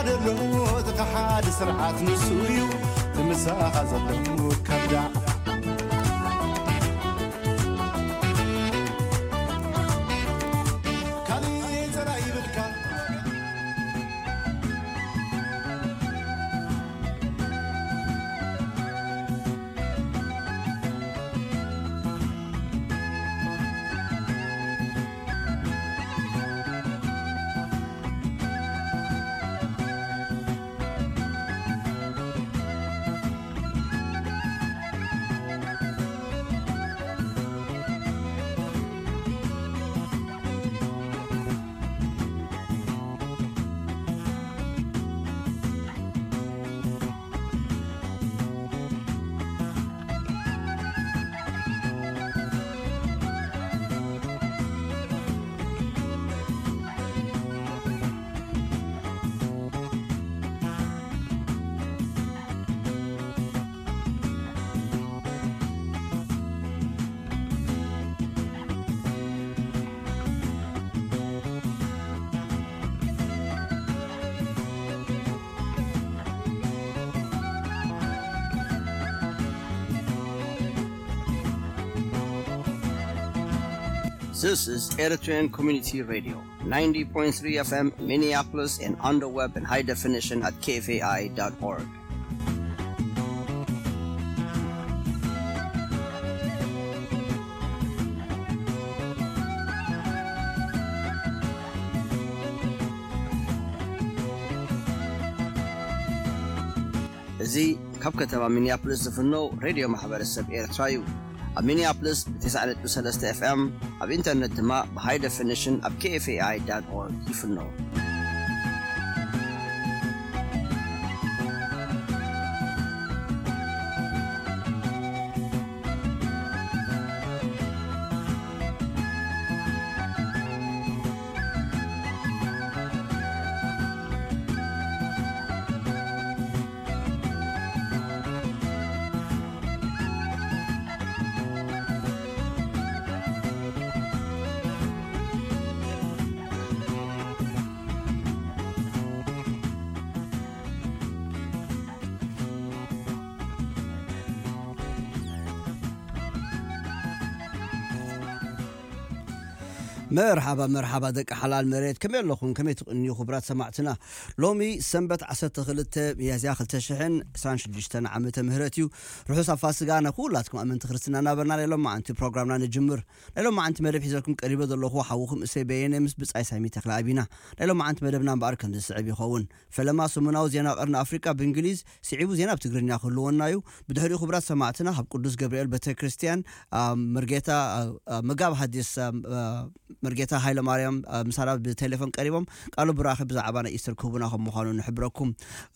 ዘሎ እቲ ሓደ ስርዓት ንሱ እዩ። እቲ ምሳኻ ዘሎ ከብዳ ካሊእ ዘራ ይብልካ። This is Eritrean Community Radio, ninety point three F M Minneapolis and on the web in high definition at K F A I dot org. እዚ ካብ ከተማ ሚኒያፖሊስ ዝፍኖ ሬድዮ ማሕበረሰብ ኤርትራ እዩ። ኣብ ሚኒያፖሊስ ብ ተስዓ ነጥቢ ሰለስተ ኤፍ ኤም፣ ኣብ ኢንተርነት ድማ ብ ሃይ ደፊኒሽን ኣብ K F A I dot org ይፍኖ። መርሓባ፣ መርሓባ ደቂ ሓላል መሬት፣ ከመይ ኣለኹም? ከመይ ትቕንዩ ክቡራት ሰማዕትና? ሎሚ ሰንበት ዓሰርተ ክልተ ሚያዝያ ክልተ ሽሕን ዕስራን ሽዱሽተን ዓመተ ምህረት እዩ። ርሑስ ፋሲጋ ንኹላትኩም ኣመንቲ ክርስትና እናበልና ናይ ሎማዓንቲ ፕሮግራምና ንጅምር። ናይ ሎማዓንቲ መደብ ሒዘልኩም ቀሪበ ዘለኹ ሓውኹም እሰይ በየነ ምስ ብጻይ ሳሚ ተኽለኣብ ኢና። ናይ ሎማዓንቲ መደብና እምበኣር ከም ዝስዕብ ይኸውን። ፈለማ ሰሙናዊ ዜና ቀርኒ ኣፍሪቃ ብእንግሊዝ፣ ስዒቡ ዜና ብትግርኛ ክህልወና እዩ። ብድሕሪኡ ክቡራት ሰማዕትና ካብ ቅዱስ ገብርኤል ቤተ ክርስቲያን፣ አ፣ መርጌታ፣ አ፣ አ፣ መጋቢ ሓዲስ፣ አ፣ አ፣ መርጌታ ሃይለ ማርያም፣ አ፣ ምሳና ብቴሌፎን ቀሪቦም ቃሉ ብራኸ ብዛዕባ ናይ ኢስተር ክህቡና ከም ምዃኑ ንሕብረኩም።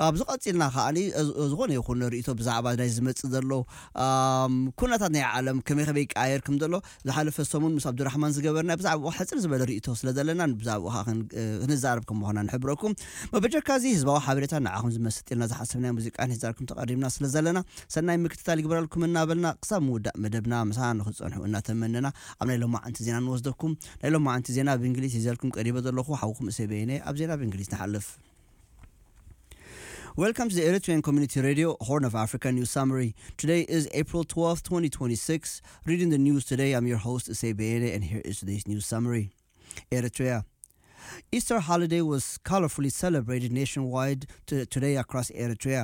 ኣብዚ ቀጺልና ከዓኒ፣ እ፣ ዝኾነ ይኹን ርእይቶ ብዛዕባ ናይ ዝመጽእ ዘሎ፣ ኣም፣ ኩነታት ናይ ዓለም ከመይ ከመይ ይቀያየር ከም ዘሎ ዝሓለፈ ሰሙን ምስ ኣብዱራሕማን ዝገበርና ብዛዕባኡ ሓጽር ዝበለ ርእይቶ ስለ ዘለና ብዛዕባኡ ከኣ ክን-፣ እ፣ ክንዛረብ ከም ምዃና ንሕብረኩም። መበጀካ እዚ ህዝባዊ ሓበሬታ ንዓኹም ዝመስጥ ኢልና ዝሓሰብናዮ ሙዚቃን ሒዛልኩም ተቐሪብና ስለ ዘለና ሰናይ ምክትታል ይግበረልኩም እናበልና ክሳብ ምውዳእ መደብና ምሳና ንክትጸንሑ እናተመነና ኣብ ናይ ሎማዓንቲ ዜና ንወስደኩም። ናይ ሎማዓንቲ ዜና ብእንግሊዝ ሒዘልኩም ቀሪበ ዘለኹ ሓውኩም እሰይ በየነ። ኣብ ዜና ብእንግሊዝ ንሓልፍ። Welcome to the Eritrean Community Radio, Horn of Africa News Summary. Today is April twelfth, twenty twenty-six. Reading the news today, I'm your host, Issei Beene, and here is today's news summary. Eritrea. Easter holiday was colorfully celebrated nationwide t-, today across Eritrea.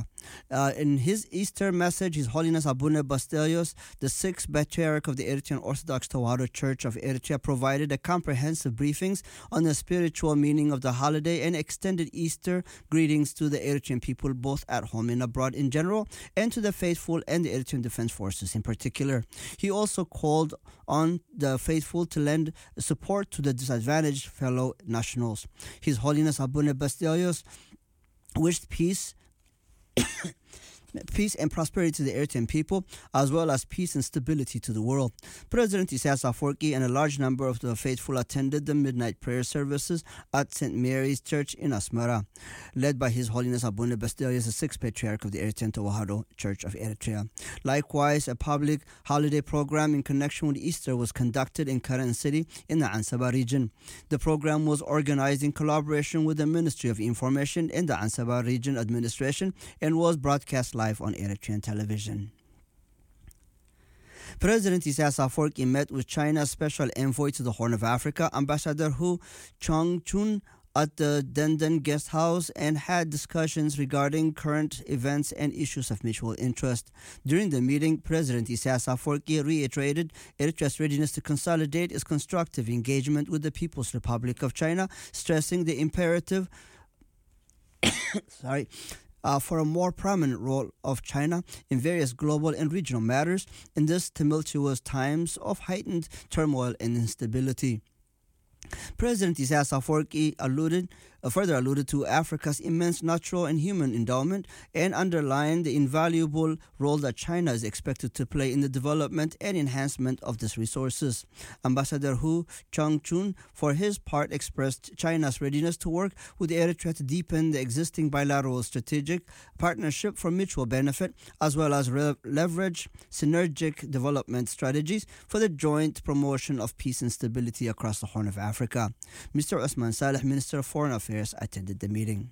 Uh, in his Easter message, His Holiness Abuna Basilios, the sixth Patriarch of the Eritrean Orthodox Tewahedo Church of Eritrea, provided a comprehensive briefings on the spiritual meaning of the holiday and extended Easter greetings to the Eritrean people, both at home and abroad in general, and to the faithful and the Eritrean Defense Forces in particular. He also called on the faithful to lend support to the disadvantaged fellow nationals. His Holiness Abuna Basilios wished peace peace and prosperity to the Eritrean people, as well as peace and stability to the world. President Isaias Afwerki and a large number of the faithful attended the midnight prayer services at Saint Mary's Church in Asmara, led by His Holiness Abuna Basilius the sixth Patriarch of the Eritrean Tewahedo Church of Eritrea. Likewise, a public holiday program in connection with Easter was conducted in Karen City in the Ansaba region. The program was organized in collaboration with the Ministry of Information and the Ansaba Region Administration and was broadcast live on Eritrean television. President Isaias Afwerki met with China's special envoy to the Horn of Africa, Ambassador Hu Changchun, at the Denden Guest House and had discussions regarding current events and issues of mutual interest. During the meeting, President Isaias Afwerki reiterated Eritrea's readiness to consolidate its constructive engagement with the People's Republic of China, stressing the imperative sorry, uh, for a more prominent role of China in various global and regional matters in these tumultuous times of heightened turmoil and instability. President Isaias Afwerki alluded, uh, further alluded to Africa's immense natural and human endowment and underlined the invaluable role that China is expected to play in the development and enhancement of these resources. Ambassador Hu Changchun, for his part, expressed China's readiness to work with Eritrea to deepen the existing bilateral strategic partnership for mutual benefit, as well as re- leverage synergic development strategies for the joint promotion of peace and stability across the Horn of Africa. Mister Osman Saleh, Minister of Foreign Affairs, attended the meeting.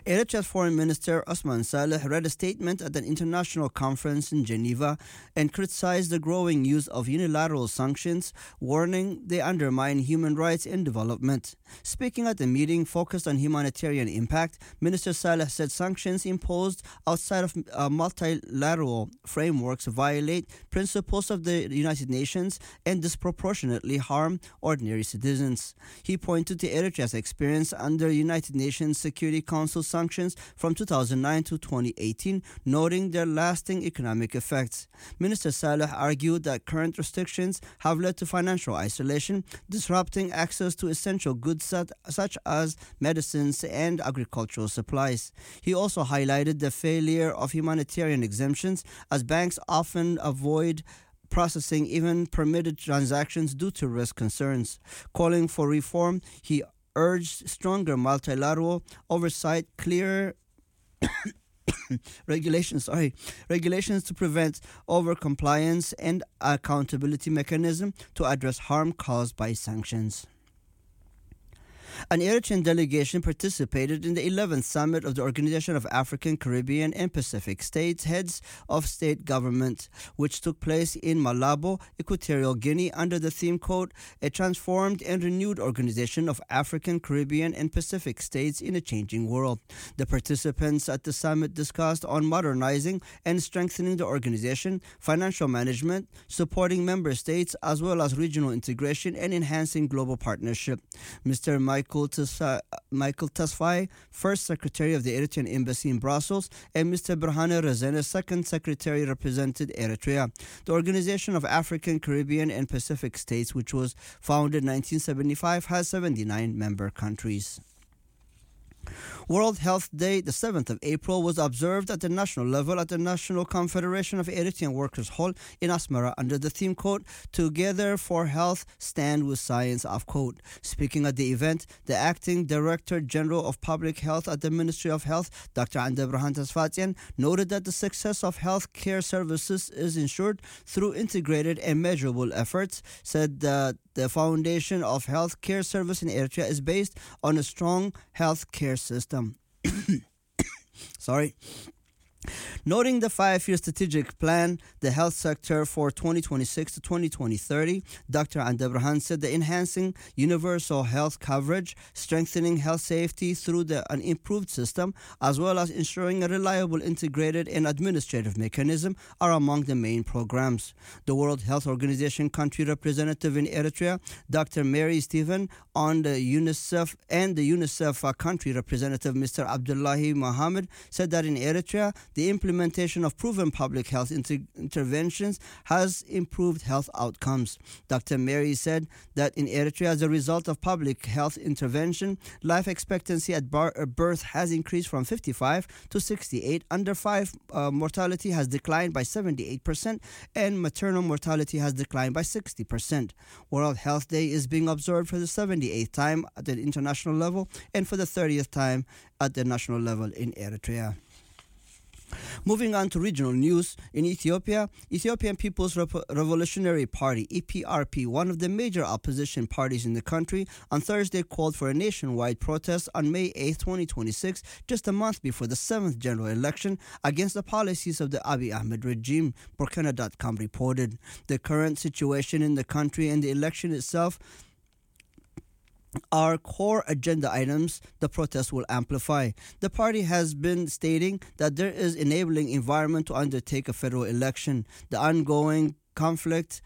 Eritrea's Foreign Minister Osman Saleh read a statement at an international conference in Geneva and criticized the growing use of unilateral sanctions, warning they undermine human rights and development. Speaking at the meeting focused on humanitarian impact, Minister Saleh said sanctions imposed outside of uh, multilateral frameworks violate principles of the United Nations and disproportionately harm ordinary citizens. He pointed to Eritrea's experience under United Nations Security Council sanctions from two thousand nine to twenty eighteen, noting their lasting economic effects. Minister Saleh argued that current restrictions have led to financial isolation, disrupting access to essential goods such, such as medicines and agricultural supplies. He also highlighted the failure of humanitarian exemptions, as banks often avoid processing even permitted transactions due to risk concerns. Calling for reform, he urged stronger multilateral oversight, clear regulations, sorry, regulations to prevent over compliance and accountability mechanism to address harm caused by sanctions. An Eritrean delegation participated in the eleventh summit of the Organization of African, Caribbean, and Pacific States Heads of State Government, which took place in Malabo, Equatorial Guinea, under the theme code A Transformed and Renewed Organization of African, Caribbean, and Pacific States in a Changing World. The participants at the summit discussed on modernizing and strengthening the organization, financial management, supporting member states, as well as regional integration and enhancing global partnership. Mister Michael Tesfa- Michael Tesfaye, first secretary of the Eritrean embassy in Brussels, and Mister Berhane Rezene, second secretary, represented Eritrea. The Organization of African, Caribbean, and Pacific States, which was founded in nineteen seventy-five, has seventy-nine member countries. World Health Day, the seventh of April, was observed at the national level at the National Confederation of Eritrean Workers Hall in Asmara under the theme quote, "Together for Health, Stand with Science," of quote. Speaking at the event, the acting director general of public health at the Ministry of Health, Doctor Andebraham Tasfatsyan, noted that the success of health care services is ensured through integrated and measurable efforts, said that the foundation of health care service in Eritrea is based on a strong health care system. Sorry. Noting the five-year strategic plan, the health sector for twenty twenty-six to twenty thirty, Doctor Andebraham said the enhancing universal health coverage, strengthening health safety through the, an improved system, as well as ensuring a reliable, integrated, and administrative mechanism are among the main programs. The World Health Organization country representative in Eritrea, Doctor Mary Stephen, on the UNICEF and the UNICEF uh, country representative, Mister Abdullahi Mohammed, said that in Eritrea, the implementation implementation of proven public health inter- interventions has improved health outcomes. Doctor Mary said that in Eritrea, as a result of public health intervention, life expectancy at bar- uh, birth has increased from fifty-five to sixty-eight. Under five uh, mortality has declined by seventy-eight percent, and maternal mortality has declined by sixty percent. World Health Day is being observed for the seventy-eighth time at the international level and for the thirtieth time at the national level in Eritrea. Moving on to regional news, in Ethiopia, Ethiopian People's Revo- Revolutionary Party, E P R P, one of the major opposition parties in the country, on Thursday called for a nationwide protest on May eighth, twenty twenty-six, just a month before the seventh general election, against the policies of the Abiy Ahmed regime, Burkina dot com reported. The current situation in the country and the election itself are core agenda items the protest will amplify. The party has been stating that there is enabling environment to undertake a federal election. The ongoing conflict,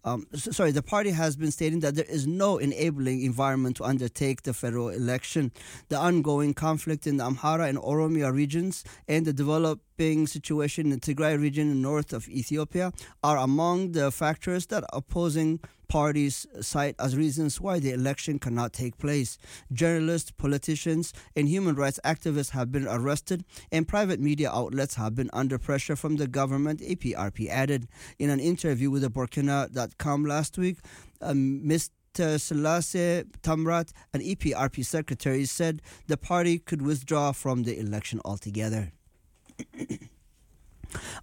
um, s- sorry, the party has been stating that there is no enabling environment to undertake the federal election. The ongoing conflict in the Amhara and Oromia regions and the developing situation in the Tigray region in north of Ethiopia are among the factors that opposing parties cite as reasons why the election cannot take place. Journalists, politicians, and human rights activists have been arrested, and private media outlets have been under pressure from the government, E P R P added. In an interview with the Burkina dot com last week, um, Mister Selassie Tamrat, an E P R P secretary, said the party could withdraw from the election altogether.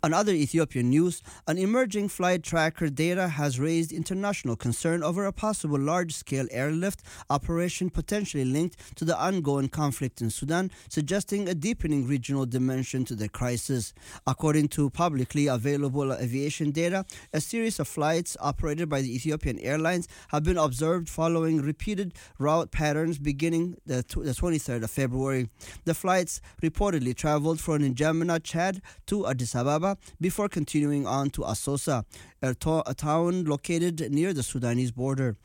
On other Ethiopian news, an emerging flight tracker data has raised international concern over a possible large-scale airlift operation potentially linked to the ongoing conflict in Sudan, suggesting a deepening regional dimension to the crisis. According to publicly available aviation data, a series of flights operated by the Ethiopian Airlines have been observed following repeated route patterns beginning the, tw- the twenty-third of February. The flights reportedly traveled from N'Djamena, Chad, to Addis Ababa before continuing on to Assosa, a, to- a town located near the Sudanese border.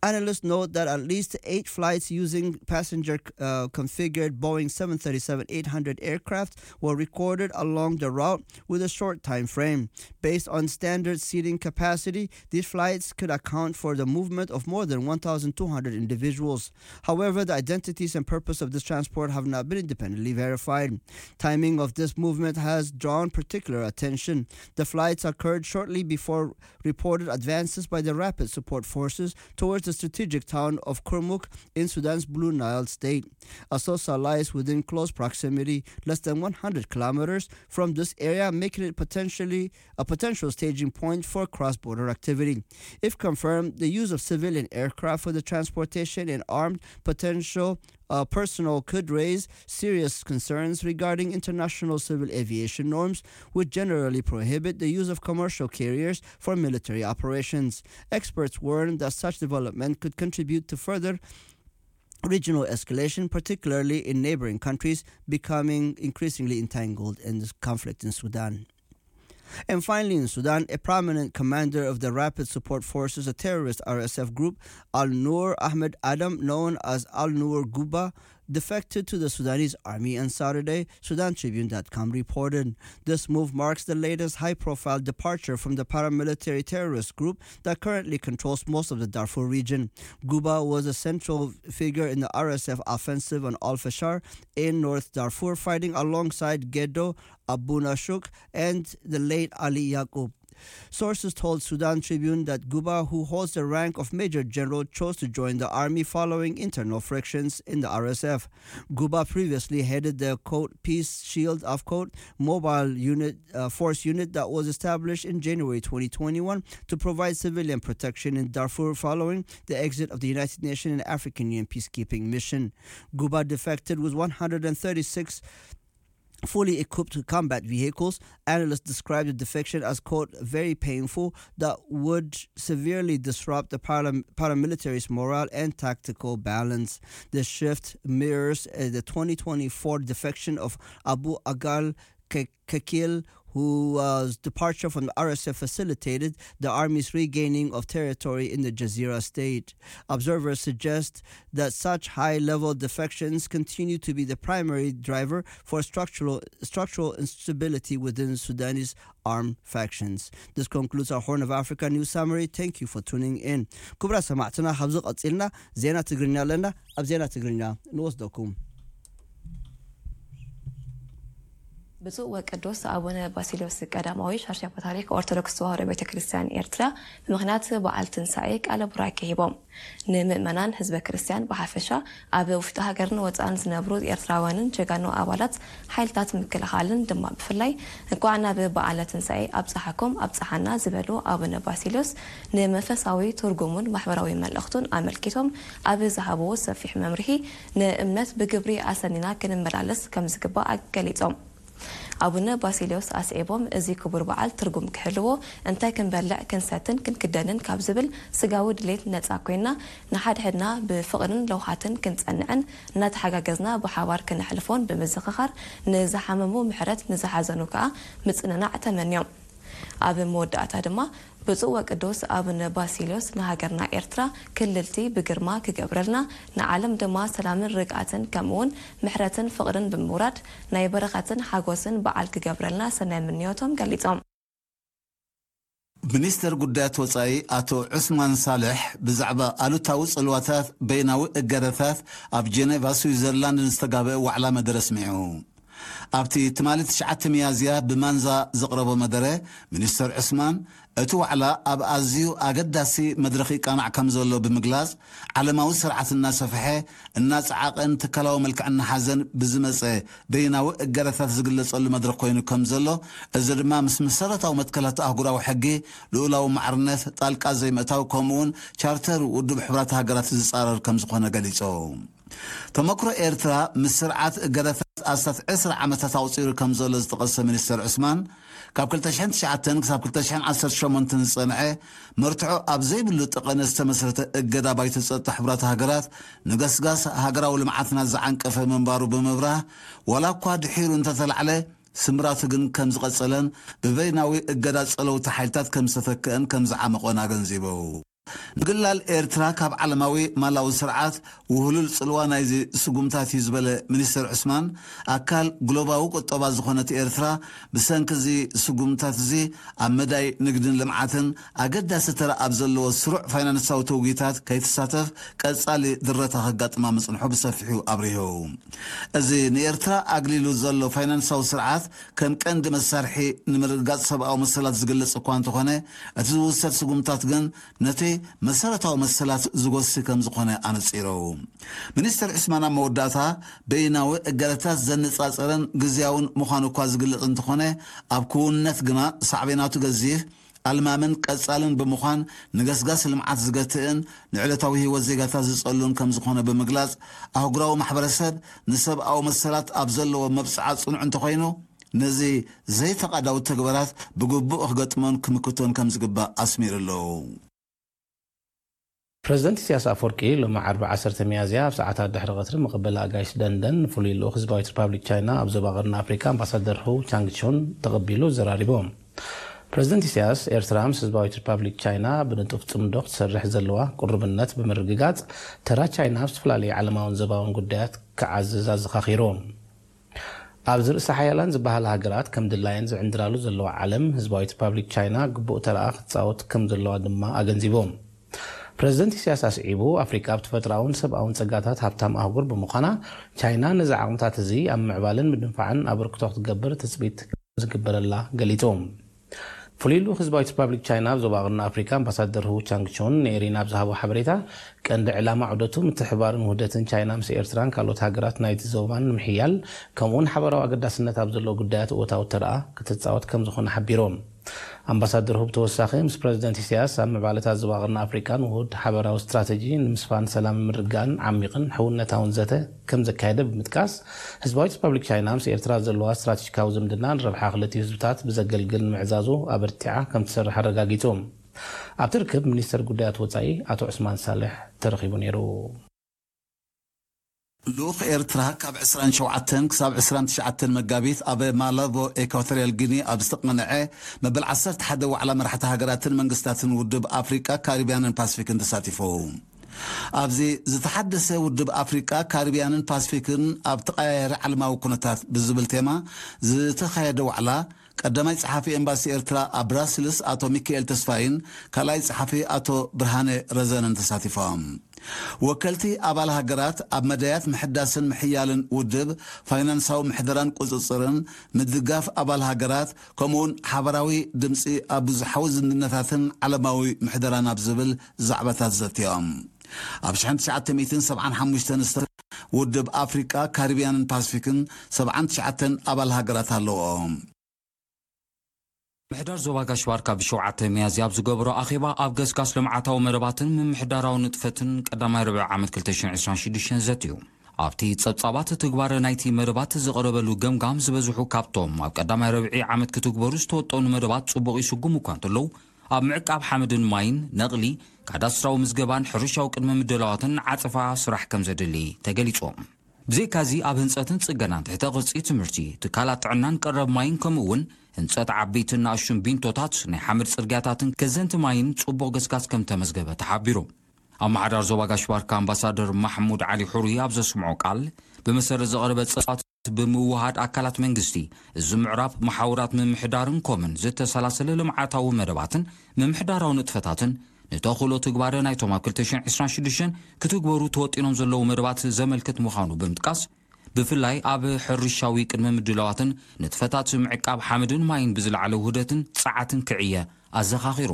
Analysts note that at least eight flights using passenger uh, configured Boeing seven thirty-seven eight hundred aircraft were recorded along the route with a short time frame. Based on standard seating capacity, these flights could account for the movement of more than one thousand two hundred individuals. However, the identities and purpose of this transport have not been independently verified. Timing of this movement has drawn particular attention. The flights occurred shortly before reported advances by the Rapid Support Forces towards the strategic town of Kurmuk in Sudan's Blue Nile state. Assosa lies within close proximity, less than one hundred kilometers from this area, making it potentially a potential staging point for cross-border activity. If confirmed, the use of civilian aircraft for the transportation and armed potential uh, personnel could raise serious concerns regarding international civil aviation norms, which generally prohibit the use of commercial carriers for military operations. Experts warn that such development could contribute to further regional escalation, particularly in neighboring countries becoming increasingly entangled in this conflict in Sudan. And finally, in Sudan, a prominent commander of the Rapid Support Forces, a terrorist R S F group, Al Nur Ahmed Adam, known as Al Nur Guba, defected to the Sudanese army on Saturday, Sudan Tribune dot com reported. This move marks the latest high-profile departure from the paramilitary terrorist group that currently controls most of the Darfur region. Guba was a central figure in the R S F offensive on Al Fashar in North Darfur, fighting alongside Gedo Abuna Shuk and the late Ali Yaqub. Sources told Sudan Tribune that Guba, who holds the rank of Major General, chose to join the army following internal frictions in the R S F. Guba previously headed the, quote, Peace Shield, of, quote, mobile unit, uh, force unit that was established in January twenty twenty-one to provide civilian protection in Darfur following the exit of the United Nations and African Union peacekeeping mission. Guba defected with one hundred thirty-six fully equipped combat vehicles. Analysts describe the defection as, quote, very painful, that would severely disrupt the param- paramilitary's morale and tactical balance. The shift mirrors uh, the twenty twenty-four defection of Abu Agal Ke- Kekil, whose departure from the R S F facilitated the army's regaining of territory in the Jazeera state. Observers suggest that such high-level defections continue to be the primary driver for structural, structural instability within Sudanese armed factions. This concludes our Horn of Africa news summary. Thank you for tuning in. ክቡራት ሰማዕትና፣ ካብዚ ቀጺልና ዜና ትግርኛ ኣለና። ኣብ ዜና ትግርኛ ንወስደኩም። ብፁዕ ወቅዱስ ኣቡነ ባሲልዮስ ቀዳማዊ ሻሽያ ፓትርያርክ ኦርቶዶክስ ተዋህዶ ቤተ ክርስቲያን ኤርትራ ብምኽንያት በዓል ትንሳኤ ቃለ ቡራኬ ሂቦም። ንምእመናን ህዝበ ክርስቲያን ብሓፈሻ፣ ኣብ ውሽጢ ሃገርን ወፃእን ዝነብሩ ኤርትራውያንን ጀጋኑ ኣባላት ሓይልታት ምክልኻልን ድማ ብፍላይ እንኳዕ ናብ በዓለ ትንሳኤ ኣብፀሓኩም ኣብፀሓና ዝበሉ ኣቡነ ባሲልዮስ፣ ንመንፈሳዊ ትርጉሙን ማሕበራዊ መልእኽቱን ኣመልኪቶም ኣብ ዝሃብዎ ሰፊሕ መምርሒ፣ ንእምነት ብግብሪ ኣሰኒና ክንመላለስ ከምዝግባእ ገሊጾም። ኣቡነ ባሲልዮስ ኣስዒቦም፣ እዚ ክቡር በዓል ትርጉም ክህልዎ፣ እንታይ ክንበልዕ፣ ክንሰትን ክንክደንን ካብ ዝብል ስጋዊ ድሌት ነጻ ኮይና፣ ንሓድሕድና ብፍቕርን ለውሃትን ክንጸንዕን እናተሓጋገዝና ብሓባር ክነሕልፎን ብምዝኽኻር፣ ንዝሓመሙ ምሕረት፣ ንዝሓዘኑ ከኣ ምጽንናዕ ተመንዮም። ኣብ መወዳእታ ድማ፣ ብፁዕ ወቅዱስ ኣቡነ ባሲልዮስ ንሃገርና ኤርትራ ክልልቲ ብግርማ ክገብረልና፣ ንዓለም ድማ ሰላምን ርግኣትን ከምኡውን ምሕረትን ፍቕርን ብምውራድ፣ ናይ በረኸትን ሓጎስን በዓል ክገብረልና ሰናይ ምንዮቶም ገሊጾም። ሚኒስተር ጉዳያት ወጻኢ ኣቶ ዑስማን ሳልሕ ብዛዕባ ኣሉታዊ ጽልዋታት በይናዊ እገዳታት ኣብ ጀኔቫ ስዊዘርላንድ ንዝተጋበአ ዋዕላ መደረ ኣስሚዑ። ኣብቲ ትማሊ ትሽዓተ ሚያዝያ ብማንዛ ዘቕረቦ መደረ፣ ሚኒስተር ዑስማን፣ እቲ ዋዕላ ኣብ ኣዝዩ ኣገዳሲ መድረኽ ይቃናዕ ከም ዘሎ ብምግላጽ፣ ዓለማዊ ስርዓት እናሰፍሐ፣ እናጸዓቐን ትካላዊ መልክዕ እናሓዘን ብዝመጸ በይናዊ እገዳታት ዝግለጸሉ መድረኽ ኮይኑ ከም ዘሎ፣ እዚ ድማ ምስ መሰረታዊ መትከላት ኣህጉራዊ ሕጊ፣ ልኡላዊ ማዕርነት፣ ጣልቃ ዘይምእታው፣ ከምኡውን ቻርተር ውድብ ሕቡራት ሃገራት ዝጻረር ከም ዝኾነ ገሊጹ። ተመክሮ ኤርትራ ምስ ስርዓት እገዳታት ኣስታት ዕስራ ዓመታት ኣቑጺሩ ከም ዘሎ ዝጠቐሰ ሚኒስተር ዑስማን፣ ካብ ክልተ ሽሕን ትሽዓተን ክሳብ ክልተ ሽሕን ዓሰርተ ሸሞንተን ዝጸንዐ መርትዖ ኣብ ዘይብሉ ጠቐነ ዝተመስረተ እገዳ ባይቶ ጸጥታ ሕቡራት ሃገራት ንገስጋስ ሃገራዊ ልምዓትና ዝዓንቀፈ ምንባሩ ብምብራህ፣ ዋላ እኳ ድሒሩ እንተተላዕለ ስምራቱ ግን ከም ዝቐጸለን ብበይናዊ እገዳ ጸለውቲ ሓይልታት ከም ዝተተክአን ከም ዝዓመቖን ኣገንዚቡ። ምግላል ኤርትራ ካብ ዓለማዊ ማላዊ ስርዓት ውህሉል ጽልዋ ናይዚ ስጉምታት እዩ ዝበለ ሚኒስተር ዑስማን፣ ኣካል ግሎባዊ ቁጠባ ዝኾነት ኤርትራ ብሰንኪ እዚ ስጉምታት እዚ ኣብ መዳይ ንግድን ልምዓትን ኣገዳሲ ተራ ኣብ ዘለዎ ስሩዕ ፋይናንሳዊ ተውጊታት ከይትሳተፍ ቀጻሊ ድረታ ከጋጥማ ምጽንሑ ብሰፊሑ ኣብሪሁ። እዚ ንኤርትራ ኣግሊሉ ዘሎ ፋይናንሳዊ ስርዓት ከም ቀንዲ መሳርሒ ንምርግጋጽ ሰብኣዊ መሰላት ዝግለጽ እኳ እንተኾነ፣ እቲ ዝውሰድ ስጉምታት ግን ነቲ መሰረታዊ መሰላት ዝጎሲ ከም ዝኾነ ኣነጺሩ። ሚኒስተር ዑስማን ኣብ መወዳእታ፣ በይናዊ እገዳታት ዘነጻጸረን ግዝያውን ምዃኑ እኳ ዝግለጽ እንተኾነ፣ ኣብ ክውንነት ግና ሳዕቤናቱ ገዚፍ፣ ኣልማምን ቀጻልን ብምዃን፣ ንገስጋስ ልምዓት ዝገትእን ንዕለታዊ ህይወት ዜጋታት ዝጸሉን ከም ዝኾነ ብምግላጽ፣ ኣህጉራዊ ማሕበረሰብ ንሰብኣዊ መሰላት ኣብ ዘለዎ መብጽዓ ጽኑዕ እንተኾይኑ፣ ነዚ ዘይፈቓዳዊ ተግባራት ብግቡእ ክገጥሞን ክምክቶን ከም ዝግባእ ኣስሚሩ ኣሎ። ፕረዚደንት ኢሳያስ ኣፈወርቂ ሎሚ ዓርቢ ዓሰርተ ሚያዝያ ኣብ ሰዓታት ድሕሪ ቀትሪ መቐበሊ ኣጋይሽ ደንደን ንፍሉይ ልኡኽ ህዝባዊት ሪፓብሊክ ቻይና ኣብ ዞባ ቀርኒ ኣፍሪካ ኣምባሳደር ሁ ቻንግቹን ተቐቢሉ ዘራሪቦም። ፕረዚደንት ኢሳያስ፣ ኤርትራ ምስ ህዝባዊት ሪፓብሊክ ቻይና ብንጡፍ ጽምዶ ክትሰርሕ ዘለዋ ቅሩብነት ብምርግጋጽ፣ ተራ ቻይና ኣብ ዝተፈላለዩ ዓለማውን ዞባውን ጉዳያት ክዓዝዝ ኣዘኻኺሩ። ኣብዚ ርእሰ ሓያላን ዝበሃላ ሃገራት ከም ድላየን ዝዕንድራሉ ዘለዋ ዓለም፣ ህዝባዊት ሪፓብሊክ ቻይና ግቡእ ተራኣ ክትጻወት ከም ዘለዋ ድማ ኣገንዚቡ። ፕረዚደንት ኢሳያስ ኣስዒቡ፣ ኣፍሪቃ ብተፈጥሮኣውን ሰብኣውን ጸጋታት ሃብታም ኣህጉር ብምዃና፣ ቻይና ነዚ ዓቕምታት እዚ ኣብ ምዕባልን ምድንፋዕን ኣበርክቶ ክትገብር ትጽቢት ከም ዝግበረላ ገሊጹ። ፍሉይ ልኡኽ ህዝባዊት ሪፓብሊክ ቻይና ኣብ ዞባ ቀርኒ ኣፍሪካ ኣምባሳደር ሁ ቻንግቹን ንኤሪና ኣብ ዝሃቦ ሓበሬታ፣ ቀንዲ ዕላማ ዑደቱ ምትሕብባርን ውህደትን ቻይና ምስ ኤርትራን ካልኦት ሃገራት ናይቲ ዞባን ንምሕያል፣ ከምኡውን ሓበራዊ ኣገዳስነት ኣብ ዘለዎ ጉዳያት እወታዊ ተረኣ ክትጻወት ከም ዝኾነ ሓቢሩ። ኣምባሳደር ሁ ብተወሳኺ ምስ ፕረዚደንት ኢሳያስ ኣብ ምዕባለታት ዞባ ቀርኒ ኣፍሪቃን ውሁድ ሓበራዊ ስትራተጂ ንምስፋን ሰላምን ምርግጋእን ዓሚቕን ሕውነታውን ዘተ ከም ዘካየደ ብምጥቃስ፣ ህዝባዊት ሪፓብሊክ ቻይና ምስ ኤርትራ ዘለዋ ስትራተጂካዊ ዝምድና ንረብሓ ክልቲኡ ህዝብታት ብዘገልግል ንምዕዛዙ ኣበርቲዓ ከም ትሰርሕ ኣረጋጊጹ። ኣብቲ ርክብ ሚኒስተር ጉዳያት ወጻኢ ኣቶ ዑስማን ሳልሕ ተረኺቡ ነይሩ። ልኡኽ ኤርትራ ካብ ዕስራን ሸውዓተን ክሳብ ዕስራን ትሽዓተን መጋቢት ኣብ ማላቦ፣ ኤኳቶርያል ጊኒ ኣብ ዝተቐንዐ መበል ዓሰርተ ሓደ ዋዕላ መራሕቲ ሃገራትን መንግስታትን ውድብ ኣፍሪቃ፣ ካሪብያንን ፓስፊክን ተሳቲፉ። ኣብዚ ዝተሓደሰ ውድብ ኣፍሪቃ፣ ካሪብያንን ፓስፊክን ኣብ ተቐያያሪ ዓለማዊ ኩነታት ብዝብል ቴማ ዝተኻየደ ዋዕላ፣ ቀዳማይ ጸሓፊ ኤምባሲ ኤርትራ ኣብ ብራስልስ ኣቶ ሚካኤል ተስፋይን ካልኣይ ጸሓፊ ኣቶ ብርሃነ ረዘነን ተሳቲፎም። ወከልቲ ኣባል ሃገራት ኣብ መዳያት ምሕዳስን ምሕያልን ውድብ፣ ፋይናንሳዊ ምሕደራን ቁጽጽርን፣ ምድጋፍ ኣባል ሃገራት፣ ከምኡውን ሓበራዊ ድምጺ ኣብ ብዙሓዊ ዝምድናታትን ዓለማዊ ምሕደራን ኣብ ዝብል ዛዕባታት ዘትዮም። ኣብ ሽሕን ትሽዓተ ሚእትን ሰብዓን ሓሙሽተን ውድብ ኣፍሪቃ፣ ካሪብያንን ፓስፊክን ሰብዓን ትሽዓተን ኣባል ሃገራት ኣለዎ። ምሕዳር ዞባ ጋሽ ባርካ ብሸውዓተ ሚያዝያ ኣብ ዝገበሮ ኣኼባ ኣብ ገስጋስ ልምዓታዊ መደባትን ምምሕዳራዊ ንጥፈትን ቀዳማይ ርብዒ ዓመት ክልተ ሽሕን ዕስራን ሽዱሽተን ዘትዩ። ኣብቲ ጸብጻባት ትግባረ ናይቲ መደባት ዝቐረበሉ ገምጋም ዝበዝሑ ካብቶም ኣብ ቀዳማይ ርብዒ ዓመት ክትግበሩ ዝተወጠኑ መደባት ጽቡቕ ይስጉሙ እኳ እንተለዉ፣ ኣብ ምዕቃብ ሓመድን ማይን፣ ነቕሊ፣ ካዳስትራዊ ምዝገባን ሕርሻዊ ቅድመ ምድላዋትን ዓጸፋ ስራሕ ከም ዘድሊ ተገሊጹ። ብዘይካዚ ኣብ ህንጸትን ጽገናን ትሕተ ቅርጺ ትምህርቲ፣ ትካላት ጥዕናን ቀረብ ማይን ከምኡ እውን ህንጸት ዓበይትን ንኣሽቱን ቢንቶታት ናይ ሓመድ ጽርግያታትን ከዘንቲ ማይን ጽቡቕ ገስጋስ ከም ተመዝገበ ተሓቢሩ። ኣመሓዳር ዞባ ጋሽ ባርካ ኣምባሳደር ማሕሙድ ዓሊ ሑሩይ ኣብ ዘስምዖ ቃል፣ ብመሰረት ዝቐረበ ጸብጻባት ብምውሃድ ኣካላት መንግስቲ፣ እዚ ምዕራፍ መሓውራት ምምሕዳርን ኮምን ዝተሰላሰለ ልምዓታዊ መደባትን ምምሕዳራዊ ንጥፈታትን ንተኽእሎ ትግባረ ናይቶም ኣብ ክልተ ሽሕን ዕስራን ሽዱሽተን ክትግበሩ ተወጢኖም ዘለዉ መደባት ዘመልክት ምዃኑ ብምጥቃስ፣ ብፍላይ ኣብ ሕርሻዊ ቅድመ ምድላዋትን ንጥፈታት ምዕቃብ ሓመድን ማይን ብዝለዓለ ውህደትን ጸዓትን ክዕየ ኣዘኻኺሩ።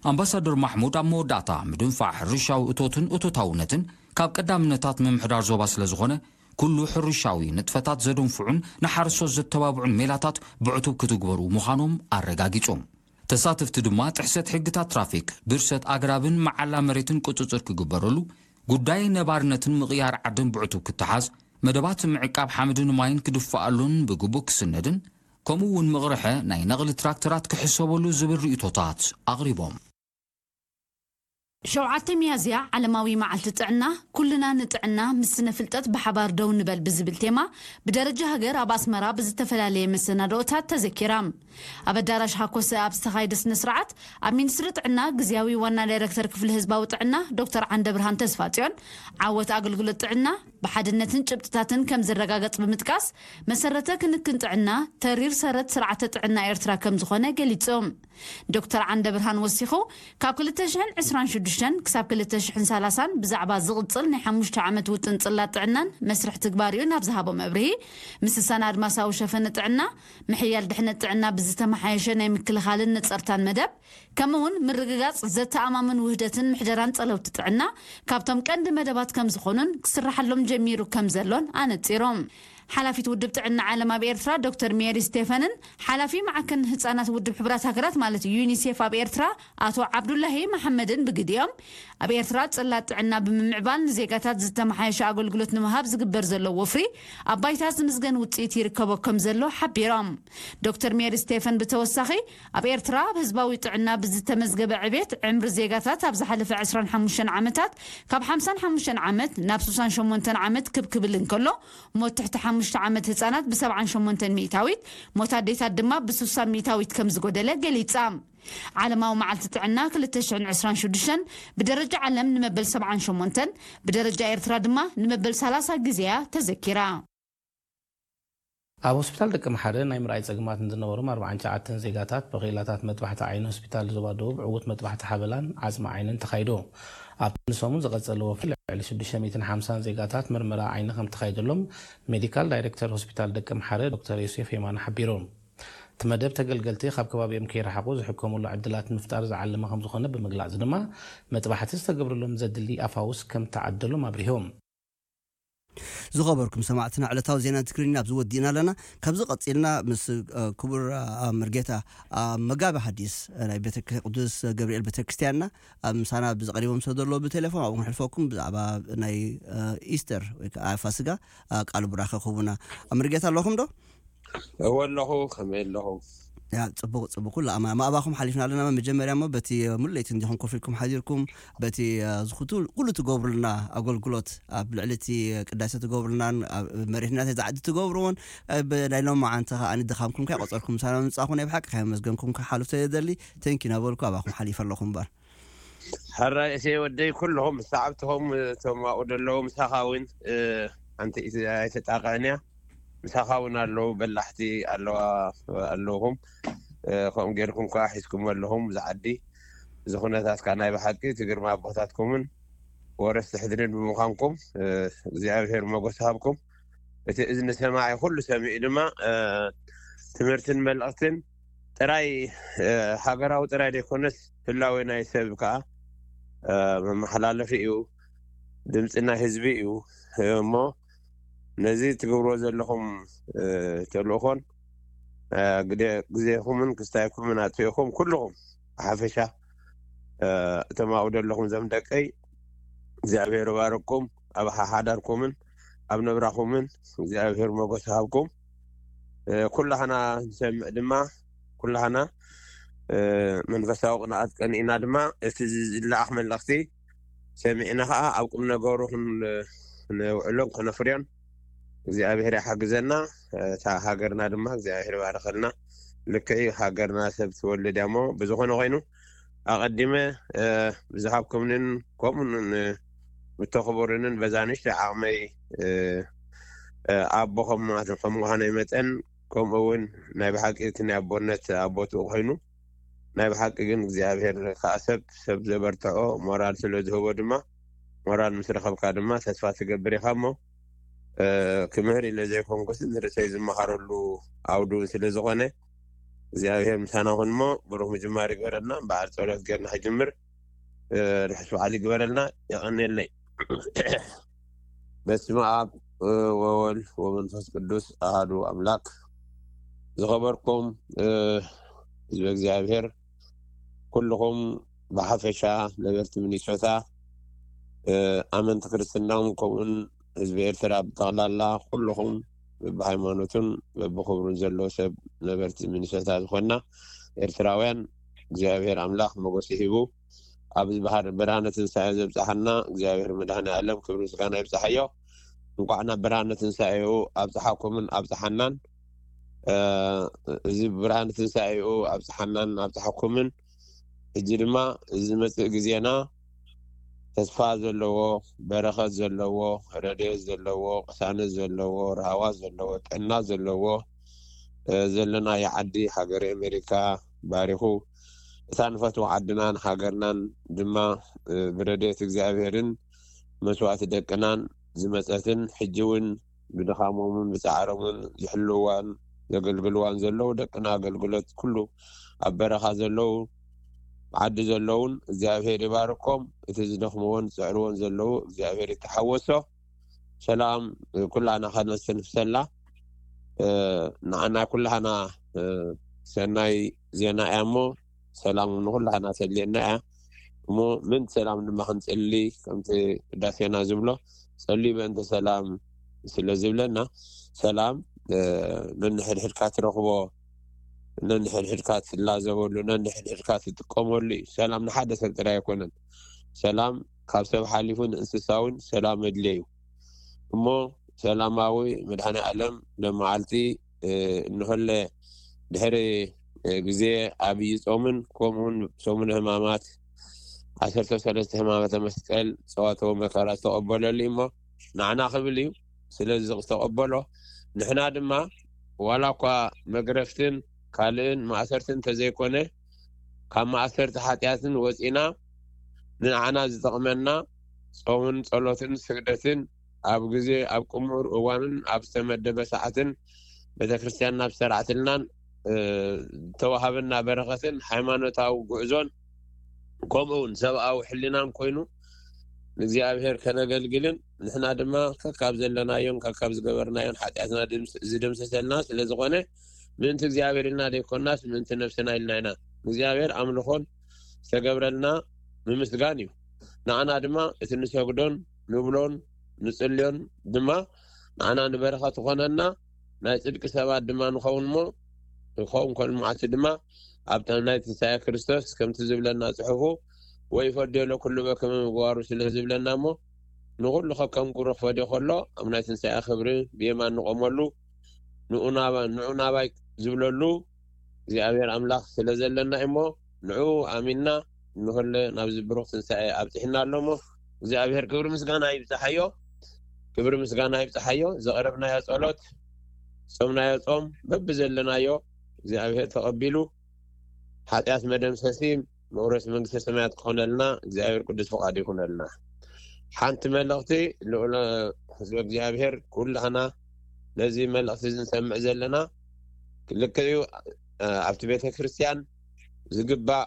ኣምባሳደር ማሕሙድ ኣብ መወዳእታ፣ ምድንፋዕ ሕርሻዊ እቶትን እቶታውነትን ካብ ቀዳምነታት ምምሕዳር ዞባ ስለ ዝኾነ፣ ኩሉ ሕርሻዊ ንጥፈታት ዘደንፍዑን ንሓረስቶት ዘተባብዑን ሜላታት ብዕቱብ ክትግበሩ ምዃኖም ኣረጋጊጹ። ተሳተፍቲ ድማ ጥሕሰት ሕግታት ትራፊክ፣ ብርሰት ኣግራብን መዓላ መሬትን ቁጽጽር ክግበረሉ፣ ጉዳይ ነባርነትን ምቕያር ዓድን ብዕቱብ ክተሓዝ፣ መደባት ምዕቃብ ሓመድን ማይን ክድፈኣሉን ብግቡእ ክስነድን፣ ከምኡ እውን ምቕርሐ ናይ ነቕሊ ትራክተራት ክሕሰበሉ ዝብል ርእይቶታት ኣቕሪቦም። ሸውዓተ ሚያዝያ ዓለማዊ መዓልቲ ጥዕና፣ ኩልና ንጥዕና ምስ ስነ ፍልጠት ብሓባር ደው ንበል ብዝብል ቴማ ብደረጃ ሃገር ኣብ ኣስመራ ብዝተፈላለየ መሰናድኦታት ተዘኪራ። ኣብ ኣዳራሽ ሃኮሰ ኣብ ዝተኻየደ ስነ ስርዓት ኣብ ሚኒስትሪ ጥዕና ግዝያዊ ዋና ዳይሬክተር ክፍሊ ህዝባዊ ጥዕና ዶክተር ዓንደ ብርሃን ተስፋጽዮን ዓወት ኣገልግሎት ጥዕና ብሓድነትን ጭብጥታትን ከም ዝረጋገጽ ብምጥቃስ መሰረተ ክንክን ጥዕና ተሪር ሰረት ስርዓተ ጥዕና ኤርትራ ከም ዝኾነ ገሊጹ። ዶክተር ዓንደ ብርሃን ወሲኹ፣ ካብ ክልተ ሽሕን ዕስራን ሽዱሽተን ክሳብ ክልተ ሽሕን ሰላሳን ብዛዕባ ዝቕጽል ናይ ሓሙሽተ ዓመት ውጥን ጽላት ጥዕናን መስርሕ ትግባሪኡን ኣብ ዝሃቦ መብርሂ፣ ምስሳን ኣድማሳዊ ሸፈነ ጥዕና፣ ምሕያል ድሕነት ጥዕና ብዝተመሓየሸ ናይ ምክልኻልን ነጸርታን መደብ፣ ከምኡውን ምርግጋጽ ዘተኣማምን ውህደትን ምሕደራን ጸለውቲ ጥዕና ካብቶም ቀንዲ መደባት ከም ዝኾኑን ክስራሓሎም ጀሚሩ ከም ዘሎን ኣነጺሮም። ሓላፊት ውድብ ጥዕና ዓለም ኣብ ኤርትራ ዶክተር ሜሪ ስቴፈንን ሓላፊ ማዕከን ህጻናት ውድብ ሕቡራት ሃገራት ማለት ዩኒሴፍ ኣብ ኤርትራ ኣቶ ዓብዱላሂ መሓመድን ብግዲኦም፣ ኣብ ኤርትራ ጽላት ጥዕና ብምምዕባል ንዜጋታት ዝተመሓየሸ ኣገልግሎት ንምሃብ ዝግበር ዘሎ ወፍሪ ኣብ ባይታ ዝምዝገን ውጽኢት ይርከቦ ከም ዘሎ ሓቢሮም። ዶክተር ሜሪ ስቴፈን ብተወሳኺ፣ ኣብ ኤርትራ ኣብ ህዝባዊ ጥዕና ብዝተመዝገበ ዕቤት ዕምሪ ዜጋታት ኣብ ዝሓለፈ ዕስራን ሓሙሽተን ዓመታት ካብ ሓምሳን ሓሙሽተን ዓመት ናብ ስሳን ሸሞንተን ዓመት ክብ ክብል እንከሎ፣ ሞት ትሕቲ ሓሙሽተ ዓመት ህጻናት ብ ሰብዓን ሸሞንተን ሚእታዊት፣ ሞት ኣዴታት ድማ ብ ስሳ ሚእታዊት ከም ዝጎደለ ገሊጻ። ዓለማዊ መዓልቲ ጥዕና ክልተ ሽሕን ዕስራን ሽዱሽተን ብደረጃ ዓለም ንመበል ሰብዓን ሸሞንተን፣ ብደረጃ ኤርትራ ድማ ንመበል ሰላሳ ግዜ እያ ተዘኪራ። ኣብ ሆስፒታል ደቂ መሓረ ናይ ምርኣይ ጸገማት ንዝነበሮም ኣርባዓን ትሽዓተን ዜጋታት ብክኢላታት መጥባሕቲ ዓይኒ ሆስፒታል ዞባ ደቡብ ዕዉት መጥባሕቲ ሓበላን ዓጽሚ ዓይንን ተኻይዱ። ኣብቲ ንሰሙን ዝቐጸለ ወፍሪ ልዕሊ ሽዱሽተ ሚእትን ሓምሳን ዜጋታት ምርመራ ዓይኒ ከም ተኻይደሎም ሜዲካል ዳይሬክተር ሆስፒታል ደቂ መሓረ ዶክተር ዮሴፍ የማነ ሓቢሩ። እቲ መደብ ተገልገልቲ ካብ ከባቢኦም ከይረሓቑ ዝሕከሙሉ ዕድላት ንምፍጣር ዝዓለመ ከም ዝኾነ ብምግላጽ ድማ መጥባሕቲ ዝተገብረሎም ዘድሊ ኣፋውስ ከም ተዓደሎም ኣብሪሆም። ዝኸበርኩም ሰማዕትና፣ ዕለታዊ ዜና ትግርኛ ኣብዚ ወዲእና ኣለና። ካብዚ ቀጺልና ምስ፣ እ፣ ክቡር፣ እ፣ መርጌታ፣ እ፣ መጋቢ ሓዲስ፣ እ፣ ናይ ቤተ-፣ ቅዱስ ገብርኤል ቤተክርስትያንና፣ እ፣ ምሳና ብዚ ቀሪቦም ስለ ዘለዉ ብቴሌፎን ኣብኡ ክንሕልፈኩም ብዛዕባ ናይ፣ እ፣ ኢስተር ወይ ከዓ ፋሲጋ፣ እ፣ ቃል ቡራኸ ክህቡና። እ፣ መርጌታ ኣለኹም ዶ? እወ ኣለኹ፣ ከመይ ኣለኹም? ያ ጽቡቕ ጽቡቕ፣ ኩሉ ኣማ ማእባኹም ሓሊፍና ኣለና። መጀመርያ እሞ በቲ ሙሉእ ለይቲ እንዲኹም ኮፍ ኢልኩም ሓዲርኩም፣ በቲ ዝኹቱ ኩሉ ትገብሩልና ኣገልግሎት፣ ኣብ ልዕሊ እቲ ቅዳሴ ትገብሩልናን ኣብ መሪሕነት ዝዓዲ ትገብርዎን፣ ብናይ ሎማዓንቲ ከኣ ድኻምኩም ከይቆጸርኩም ምሳና ምምጻእኩም ናይ ብሓቂ ከየመስገንኩም ክሓልፍ ስለዝደሊ፣ ቴንኪ እናበልኩ ኣባኹም ሓሊፈ ኣለኹ እምበር። ሕራይ እሴ ወደይ፣ ኩልኹም ሰዓብትኹም፣ እቶም ኣብኡ ዘለዉ ምሳኻ እውን ሓንቲ ኣይተጣቕዕን እያ። ምሳኻ እውን ኣለዉ በላሕቲ ኣለዋ፣ ኣለኹም። ከምኡ ጌርኩም ከዓ ሒዝኩም ኣለኹም ዝዓዲ። እዚ ኩነታት ከዓ ናይ ብሓቂ እቲ ግርማ ኣቦታትኩምን ወረስቲ ሕድርን ብምዃንኩም እግዚኣብሔር መጎስ ሃብኩም። እቲ እዝኒ ሰማዒ ኩሉ ሰሚዑ ድማ ትምህርትን መልእኽትን ጥራይ ሃገራዊ ጥራይ ዘይኮነስ ህላዌ ናይ ሰብ ከዓ መመሓላለፊ እዩ፣ ድምፂ ናይ ህዝቢ እዩ። እሞ ነዚ ትገብርዎ ዘለኹም ተልእኾን ግዜኹምን ክስታይኩምን ኣጥፊእኹም ኩልኹም ብሓፈሻ እቶም ኣብኡ ዘለኹም ዘም ደቀይ እግዚኣብሔር ባረኩም ኣብ ሓሓዳርኩምን ኣብ ነብራኹምን እግዚኣብሔር መጎስ ሃብኩም። ኩላህና ንሰምዕ ድማ ኩላህና መንፈሳዊ ቅንኣት ቀኒእና ድማ እቲ ዝለኣኽ መልእኽቲ ሰሚዕና ከዓ ኣብ ቁም ነገሩ ነውዕሎን ከነፍርዮን እግዚኣብሔር ይሓግዘና። እታ ሃገርና ድማ እግዚኣብሔር ይባርኸልና። ልክዕ ሃገርና ሰብ ትወልድ እያ እሞ ብዝኾነ ኮይኑ ኣቐዲመ ብዝሃብኩምንን ከምኡ ምተኽብሩንን በዛ ንእሽተይ ዓቕመይ ኣቦ ከም ምዃነይ መጠን ከምኡ እውን ናይ ብሓቂ እቲ ናይ ኣቦነት ኣቦትኡ ኮይኑ ናይ ብሓቂ ግን እግዚኣብሔር ከዓ ሰብ ሰብ ዘበርትዖ ሞራል ስለ ዝህቦ ድማ ሞራል ምስ ረኸብካ ድማ ተስፋ ትገብር ኢኻ እሞ ክምህር ኢለ ዘይኮንኩስ ንርእሰይ ዝመሃረሉ ዓውዲ እውን ስለ ዝኾነ እግዚኣብሔር ምሳና ኩን እሞ ብሩኽ ምጅማር ይግበረልና። በዓል ጸሎት ጌርና ክጅምር ርሕስ በዓል ይግበረልና። የቐንየለይ። በስመ ኣብ ወወልድ ወመንፈስ ቅዱስ ኣሃዱ ኣምላክ። ዝኸበርኩም ህዝበ እግዚኣብሔር ኩልኹም ብሓፈሻ ነበርቲ ሚኒሶታ ኣመንቲ ክርስትናም ከምኡን ህዝቢ ኤርትራ ብጠቕላላ ኩልኹም በብሃይማኖቱን በብክብሩን ዘሎ ሰብ ነበርቲ ሚኒሶታ ዝኾንና ኤርትራውያን እግዚኣብሔር ኣምላኽ መጎሲ ሂቡ ኣብዚ ብርሃነ ትንሳኤ ዘብፅሓና እግዚኣብሔር መድሃኒ ኣለም ክብሪ ምስጋና ይብፅሓዮ። እንኳዕ ናብ ብርሃነ ትንሳኤኡ ኣብፅሓኩምን ኣብፅሓናን። እዚ ብርሃነ ትንሳኤኡ ኣብፅሓናን ኣብፅሓኩምን። ሕጂ ድማ እዚ ዝመፅእ ግዜና ተስፋ ዘለዎ፣ በረኸት ዘለዎ፣ ረድኤት ዘለዎ፣ ቅሳነት ዘለዎ፣ ራህዋ ዘለዎ፣ ጥዕና ዘለዎ ዘለናዮ ዓዲ ሃገረ ኣሜሪካ ባሪኹ እታ ንፈትዋ ዓድናን ሃገርናን ድማ ብረድኤት እግዚኣብሔርን መስዋእቲ ደቅናን ዝመፀትን ሕጂ እውን ብድኻሞምን ብፃዕሮምን ዝሕልዋን ዘገልግልዋን ዘለዉ ደቅና ኣገልግሎት ኩሉ ኣብ በረኻ ዘለዉ ዓዲ ዘለውን እግዚኣብሔር ይባርኮም። እቲ ዝደኽምዎን ዝፅዕርዎን ዘለዉ እግዚኣብሔር ይተሓወሶ። ሰላም ኩላና ከነስተንፍሰላ ንዓና ኩላና ሰናይ ዜና እያ እሞ ሰላም ንኩላና ተድልየና እያ። እሞ ምን ሰላም ድማ ክንፅሊ ከምቲ ቅዳሴና ዝብሎ ጸልዩ በእንተ ሰላም ስለ ዝብለና ሰላም ነንሕድሕድካ ትረኽቦ ነንሕድሕድካ ትላዘበሉ ነንሕድሕድካ ትጥቀመሉ እዩ። ሰላም ንሓደ ሰብ ጥራይ ኣይኮነን። ሰላም ካብ ሰብ ሓሊፉ ንእንስሳ እውን ሰላም መድልየ እዩ። እሞ ሰላማዊ መድኃኔ ዓለም ለመዓልቲ እንሆለ ድሕሪ ግዜ ኣብይ ጾምን ከምኡውን ሰሙነ ሕማማት ዓሰርተ ሰለስተ ሕማማተ መስቀል ጸዋተው መከራ ዝተቐበለሉ እሞ ንዓና ክብል እዩ። ስለዚ ዝተቐበሎ ንሕና ድማ ዋላ እኳ መግረፍትን ካልእን ማእሰርትን እንተዘይኮነ ካብ ማእሰርቲ ሓጢኣትን ወፂና ንዓና ዝጠቕመና ጾምን ጸሎትን ስግደትን ኣብ ግዜ ኣብ ቅሙር እዋንን ኣብ ዝተመደበ ሰዓትን ቤተክርስትያን ናብ ዝተራዕትልናን ዝተዋሃበና በረኸትን ሃይማኖታዊ ጉዕዞን ከምኡ እውን ሰብኣዊ ሕሊናን ኮይኑ ንእግዚኣብሔር ከነገልግልን ንሕና ድማ ከካብ ዘለናዮን ከካብ ዝገበርናዮን ሓጢኣትና ዝደምሰሰልና ስለ ዝኾነ ምእንቲ እግዚኣብሔር ኢልና ዘይኮናስ ምእንቲ ነብስና ኢልና ኢና። እግዚኣብሔር ኣምልኾን ዝተገብረልና ምምስጋን እዩ። ንዓና ድማ እቲ ንሰግዶን ንብሎን ንጽልዮን ድማ ንዓና ንበረኸት ዝኾነና ናይ ጽድቂ ሰባት ድማ ንኸውን እሞ ክኸውን ከሎ መዓልቲ ድማ ኣብታ ናይ ትንሳኤ ክርስቶስ ከምቲ ዝብለና ጽሑፉ፣ "ወይ ፈድዮ ለኩሉ በከመ ምግባሩ" ስለ ዝብለና እሞ፣ ንኹሉ ከከም ግብሩ ክፈድዮ ከሎ፣ ኣብ ናይ ትንሳኤ ክብሪ ብየማን ንቆመሉ፣ ንዑ ናባ-፣ ንዑ ናባይ ዝብለሉ እግዚኣብሔር ኣምላኽ ስለ ዘለና እሞ፣ ንዑ ኣሚንና ንኹለ ናብዚ ብሩኽ ትንሳኤ ኣብጽሕና ኣሎ እሞ፣ እግዚኣብሔር ክብሪ ምስጋና ይብጽሓዮ፣ ክብሪ ምስጋና ይብጽሓዮ። ዘቕረብናዮ ጸሎት፣ ጾምናዮ ጾም፣ በብዘለናዮ እግዚኣብሔር ተቐቢሉ፣ ሓጢኣት መደምሰሲ፣ መውረስ መንግስተ ሰማያት ክኾነልና እግዚኣብሔር ቅዱስ ፍቓድ ይኹነልና። ሓንቲ መልእኽቲ፣ ልዑል ህዝቢ እግዚኣብሔር፣ ኩላህና ነዚ መልእኽቲ እዚ ንሰምዕ ዘለና፣ ልክዕ እዩ፣ ኣብቲ ቤተ ክርስቲያን ዝግባእ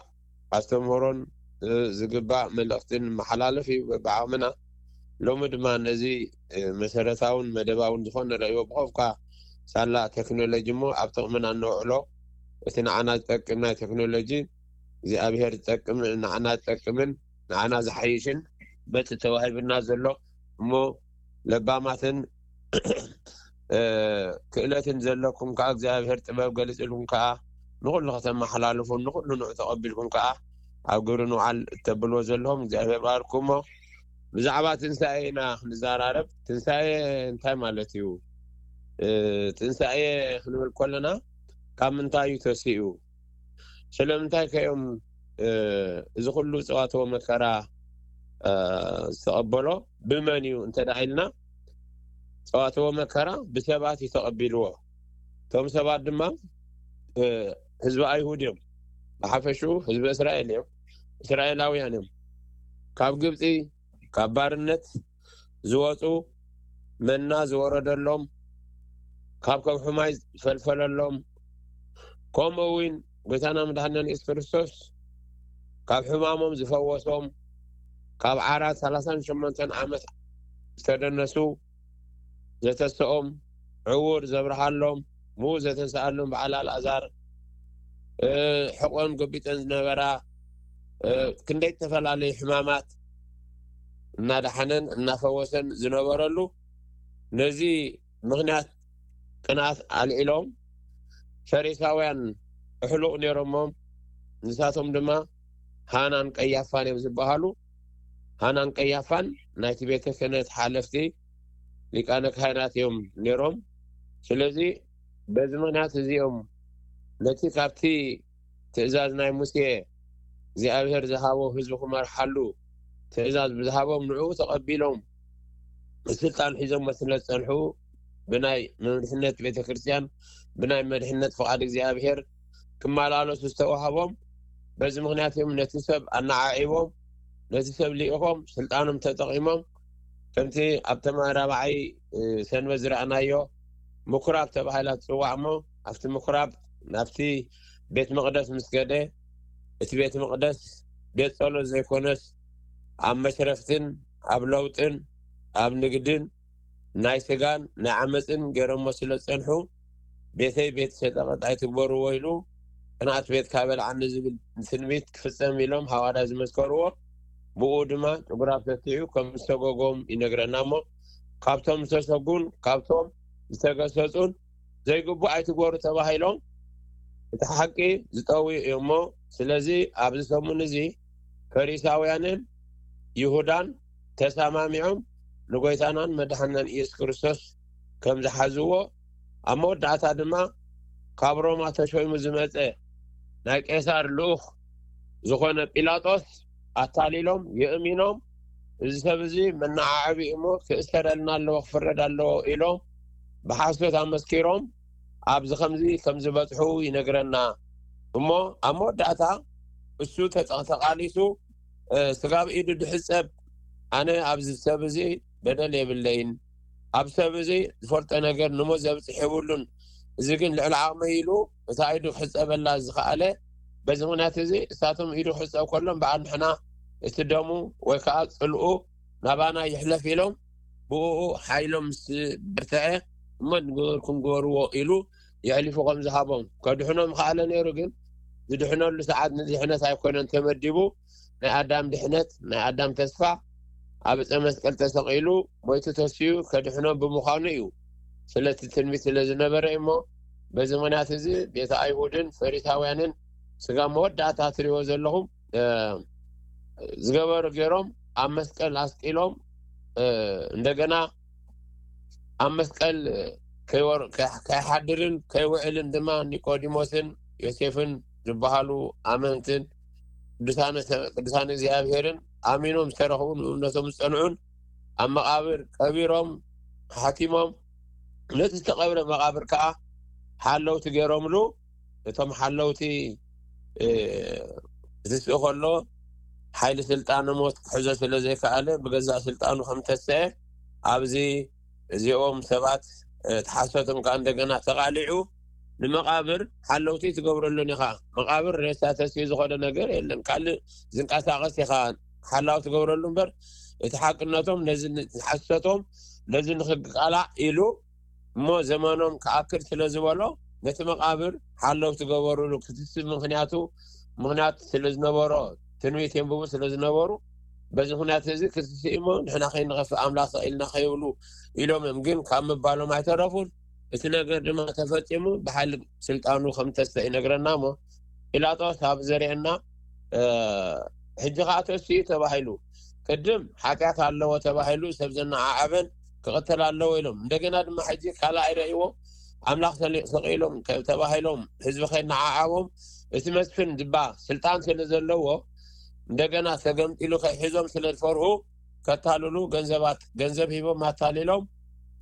ኣስተምህሮን፣ እ፣ ዝግባእ መልእኽትን መሓላለፍ እዩ ብዓቕምና። ሎሚ ድማ ነዚ፣ እ፣ መሰረታውን መደባውን ዝኾነ ረእይዎ ብኸፍካ ሳላ ቴክኖሎጂ እሞ ኣብ ጥቕምና ነውዕሎ። እቲ ንዓና ዝጠቅም ናይ ቴክኖሎጂ እግዚኣብሔር ዝጠቅም፣ ንዓና ዝጠቅምን ንዓና ዝሓይሽን በቲ ተዋሂብና ዘሎ እሞ ለባማትን እ፣ ክእለትን ዘለኩም ከኣ እግዚኣብሔር ጥበብ ገሊጽልኩም ከኣ ንኹሉ ከተመሓላልፉን ንኹሉ ንዑ ተቐቢልኩም ከኣ ኣብ ግብሪ ንውዓል እተብልዎ ዘለኹም እግዚኣብሔር ባርኩ። እሞ ብዛዕባ ትንሳኤ ኢና ክንዘራረብ። ትንሳኤ እንታይ ማለት እዩ? እ፣ ትንሳኤ ክንብል ከለና ካብ ምንታይ እዩ ተሲኡ? ስለምንታይ ከ እዮም፣ እ፣ እዚ ኩሉ ጸዋትወ መከራ፣ እ፣ ዝተቐበሎ? ብመን እዩ እንተ ደኣ ኢልና፣ ጸዋትወ መከራ ብሰባት እዩ ተቐቢልዎ። እቶም ሰባት ድማ፣ እ፣ ህዝቢ ኣይሁድ እዮም። ብሓፈሽኡ ህዝቢ እስራኤል እዮም። እስራኤላውያን እዮም። ካብ ግብጺ፣ ካብ ባርነት ዝወጹ፣ መና ዝወረደሎም፣ ካብ ከብሒ ማይ ዝፈልፈለሎም፣ ከምኡ እውን ጎይታና መድሓኒና የሱስ ክርስቶስ ካብ ሕማሞም ዝፈወሶም፣ ካብ ዓራት ሰላሳን ሸሞንተን ዓመት ዝተደነሱ፣ ዘተስኦም፣ ዕውር ዘብርሃሎም፣ ምዉት ዘተንስኣሎም በዓል ኣልኣዛር፣ እ፣ ሕቆን ጎቢጠን ዝነበራ፣ እ፣ ክንደይ ዝተፈላለዩ ሕማማት እናደሓነን እናፈወሰን ዝነበረሉ፣ ነዚ ምኽንያት ቅንኣት ኣልዒሎም ፈሪሳውያን ኣሕሉቕ ነይሮሞም። ንሳቶም ድማ ሃናን ቀያፋን እዮም ዝበሃሉ። ሃናን ቀያፋን ናይቲ ቤተ ክህነት ሓለፍቲ ሊቃነ ካህናት እዮም ነይሮም። ስለዚ በዚ ምኽንያት እዚኦም ነቲ ካብቲ ትእዛዝ ናይ ሙሴ እግዚኣብሔር ዝሃቦ ህዝቢ ክመርሓሉ ትእዛዝ ብዝሃቦም ንዕኡ ተቐቢሎም ስልጣን ሒዞሞ ስለ ዝጸንሑ ብናይ መምርሕነት ቤተ ክርስቲያን ብናይ መድሕነት ፍቓድ እግዚኣብሔር ክመላለሱ ዝተዋህቦም በዚ ምኽንያት እዮም ነቲ ሰብ ኣነዓዒቦም ነቲ ሰብ ልኢኾም ስልጣኖም ተጠቒሞም ከምቲ ኣብ ተመራባዓይ፣ እ፣ ሰንበት ዝረኣናዮ ምኩራብ ተባሂላ ትጽዋዕ እሞ ኣብቲ ምኩራብ ናብቲ ቤት መቕደስ ምስ ከደ እቲ ቤት መቕደስ ቤት ጸሎት ዘይኮነስ ኣብ መሽረፍትን ኣብ ለውጥን ኣብ ንግድን ናይ ስጋን ናይ ዓመፅን ገይሮሞ ስለ ዝፀንሑ ቤተይ ቤት ሸጠቐጥ ኣይትግበርዎ ኢሉ ቅንኣት ቤት ካበልዓኒ ዝብል ትንቢት ክፍፀም ኢሎም ሃዋርያ ዝመስከርዎ ብኡ ድማ ጭጉራፍ ተትዩ ከም ዝተጎጎም ይነግረና እሞ ካብቶም ዝተሰጉን ካብቶም ዝተገሰጹን ዘይግቡእ ኣይትግበሩ ተባሂሎም እቲ ሓቂ ዝጠውዩ እዮም እሞ ስለዚ ኣብዚ ሰሙን እዚ ፈሪሳውያንን ይሁዳን ተሰማሚዖም ንጎይታናን መድሓናን ኢየሱስ ክርስቶስ ከም ዝሓዝዎ ኣብ መወዳእታ ድማ ካብ ሮማ ተሾይሙ ዝመፀ ናይ ቄሳር ልኡኽ ዝኾነ ጲላጦስ ኣታሊሎም የእሚኖም እዚ ሰብ እዚ መነዓዓቢ እሞ ክእሰረልና ኣለዎ ክፍረድ ኣለዎ ኢሎም ብሓሶት ኣመስኪሮም ኣብዚ ከምዚ ከም ዝበፅሑ ይነግረና እሞ ኣብ መወዳእታ እሱ ተቃሊሱ ስጋብ ኢዱ ድሕፀብ ኣነ ኣብዚ ሰብ እዚ በደል የብለይን ኣብ ሰብ እዚ ዝፈልጦ ነገር ንሞት ዘብፅሕ የብሉን እዚ ግን ልዕሊ ዓቕመይ ኢሉ እታ ኢዱ ክሕፀበላ ዝኸኣለ በዚ ምክንያት እዚ እሳቶም ኢዱ ክሕፀብ ከሎ እምበኣር ንሕና እቲ ደሙ ወይ ከዓ ፅልኡ ናባና ይሕለፍ ኢሎም ብኡ ሓይሎም ምስ በርትዐ እሞ ንገበርኩም ግበርዎ ኢሉ የሕሊፉ ከም ዝሃቦም ከድሕኖም ከኣለ ነይሩ ግን ዝድሕነሉ ሰዓት ንድሕነት ኣይኮነን ተመዲቡ ናይ ኣዳም ድሕነት ናይ ኣዳም ተስፋ ኣብ ዕፀ መስቀል ተሰቒሉ ሞይቱ ተስዩ ከድሕኖም ብምዃኑ እዩ ስለቲ ትንቢት ስለ ዝነበረ እሞ በዚ ምኽንያት እዚ ቤተ ኣይሁድን ፈሪሳውያንን ስጋ መወዳእታ ትሪእዎ ዘለኹም ዝገበሩ ገይሮም ኣብ መስቀል ኣስቂሎም እንደገና ኣብ መስቀል ከይሓድርን ከይውዕልን ድማ ኒቆዲሞስን ዮሴፍን ዝበሃሉ ኣመንትን ቅዱሳን እግዚኣብሄርን ኣሚኖም ዝተረኽቡን እምነቶም ዝፀንዑን ኣብ መቓብር ቀቢሮም ሓቲሞም ነቲ ዝተቐብረ መቓብር ከዓ ሓለውቲ ገይሮምሉ። እቶም ሓለውቲ ክትስእ ከሎ ሓይሊ ስልጣን ሞት ክሕዞ ስለ ዘይከኣለ ብገዛእ ስልጣኑ ከም ተሰአ ኣብዚ እዚኦም ሰባት እቲ ሓሶቶም ከዓ እንደገና ተቓሊዑ ንመቓብር ሓለውቲ ትገብረሉን ኢኻ። መቓብር ሬሳ ተስኡ ዝኸደ ነገር የለን። ካልእ ዝንቀሳቐስ ኢኻ ሓላው ትገብረሉ እምበር እቲ ሓቅነቶም ነዚ ሓሰቶም ነዚ ንክቃላዕ ኢሉ እሞ ዘመኖም ክኣክል ስለ ዝበሎ ነቲ መቓብር ሓለው ትገበሩሉ ክትስብ ምክንያቱ ምክንያት ስለ ዝነበሮ ትንቢት የንብቡ ስለ ዝነበሩ በዚ ምክንያት እዚ ክትስእ እሞ ንሕና ከይንኸፍእ ኣምላኽ ኢልና ከይብሉ ኢሎም እዮም። ግን ካብ ምባሎም ኣይተረፉን። እቲ ነገር ድማ ተፈፂሙ ብሓይሊ ስልጣኑ ከም ተስተ ይነግረና እሞ ጲላጦስ ኣብ ዘርእየና ሕጂ ከዓ ተስኡ ተባሂሉ ቅድም ሓጢኣት ኣለዎ ተባሂሉ ሰብ ዘነዓዓበን ክቐተል ኣለዎ ኢሎም እንደገና ድማ ሕጂ ካልኣይ ረእይዎ ኣምላኽ ሰቂሎም ተባሂሎም ህዝቢ ከይነዓዓቦም እቲ መስፍን ድባ ስልጣን ስለ ዘለዎ እንደገና ተገምጢሉ ከይሕዞም ስለ ዝፈርሁ ከታልሉ ገንዘባት ገንዘብ ሂቦም ኣታሊሎም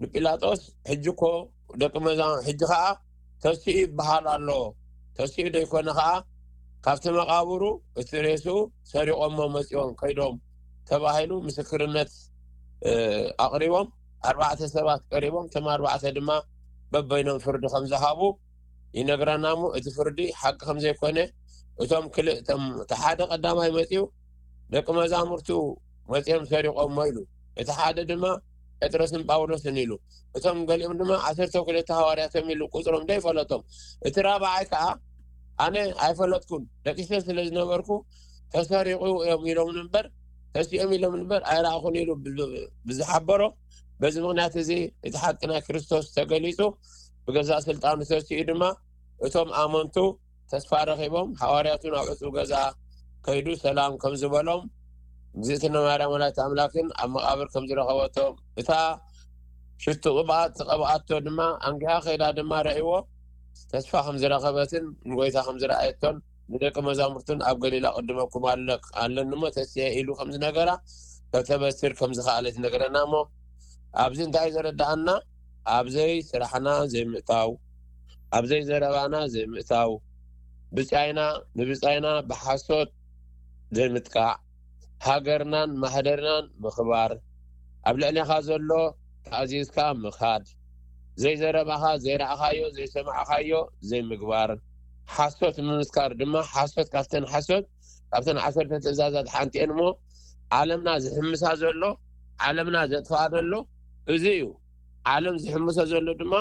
ንጲላጦስ ሕጂ እኮ ደቂ መዛ ሕጂ ከዓ ተሲኡ ይበሃል ኣሎ። ተሲኡ ዶ ይኮነ ከዓ ካብቲ መቃብሩ እቲ ሬስኡ ሰሪቆሞ መፂኦም ከይዶም ተባሂሉ ምስክርነት ኣቅሪቦም ኣርባዕተ ሰባት ቀሪቦም እቶም ኣርባዕተ ድማ በበይኖም ፍርዲ ከም ዝሃቡ ይነግረና እሞ እቲ ፍርዲ ሓቂ ከም ዘይኮነ እቶም ክልእቶም እቲ ሓደ ቀዳማይ መፂኡ ደቂ መዛሙርቱ መፂኦም ሰሪቆሞ ኢሉ እቲ ሓደ ድማ ጴጥሮስን ጳውሎስን ኢሉ እቶም ገሊኦም ድማ ዓሰርተ ክልተ ሃዋርያቶም ኢሉ ቁፅሮም ዘይፈለጦም እቲ ራብዓይ ከዓ ኣነ ኣይፈለጥኩን ደቂሰ ስለ ዝነበርኩ ተሰሪቁ እዮም ኢሎም እምበር ተሲኦም ኢሎም እምበር ኣይረኣኹን ኢሉ ብዝሓበሮ በዚ ምክንያት እዚ እቲ ሓቂ ናይ ክርስቶስ ተገሊፁ ብገዛእ ስልጣኑ ተሲኡ ድማ እቶም ኣመንቱ ተስፋ ረኺቦም ሃዋርያቱ ናብ ዕፁብ ገዛ ከይዱ ሰላም ከም ዝበሎም እግዝእትነ ማርያም ወላዲተ ኣምላክን ኣብ መቃብር ከም ዝረኸበቶም እታ ሽቱ ቅብኣት ዝቀብኣቶ ድማ ኣንጊሃ ከይዳ ድማ ረእይዎ ተስፋ ከም ዝረኸበትን ንጎይታ ከም ዝረኣየቶን ንደቂ መዛሙርቱን ኣብ ገሊላ ቅድመኩም ኣለኒ እሞ ተስየ ኢሉ ከም ዝነገራ ከተበስር ከም ዝኸኣለት ይነግረና እሞ ኣብዚ እንታይ ዘረዳኣና ኣብዘይ ስራሕና ዘይምእታው ኣብዘይ ዘረባና ዘይምእታው ብጻይና ንብጻይና ብሓሶት ዘይምጥቃዕ ሃገርናን ማህደርናን ምኽባር ኣብ ልዕሌኻ ዘሎ ተኣዚዝካ ምኻድ ዘይዘረባኻ ዘይረኣኻዮ ዘይሰማዕኻዮ ዘይምግባር ሓሶት ምምስካር ድማ ሓሶት ካብተን ሓሶት ካብተን ዓሰርተ ትእዛዛት ሓንቲ እየን እሞ ዓለምና ዝሕምሳ ዘሎ ዓለምና ዘጥፍኣ ዘሎ እዚ እዩ ዓለም ዝሕምሶ ዘሎ ድማ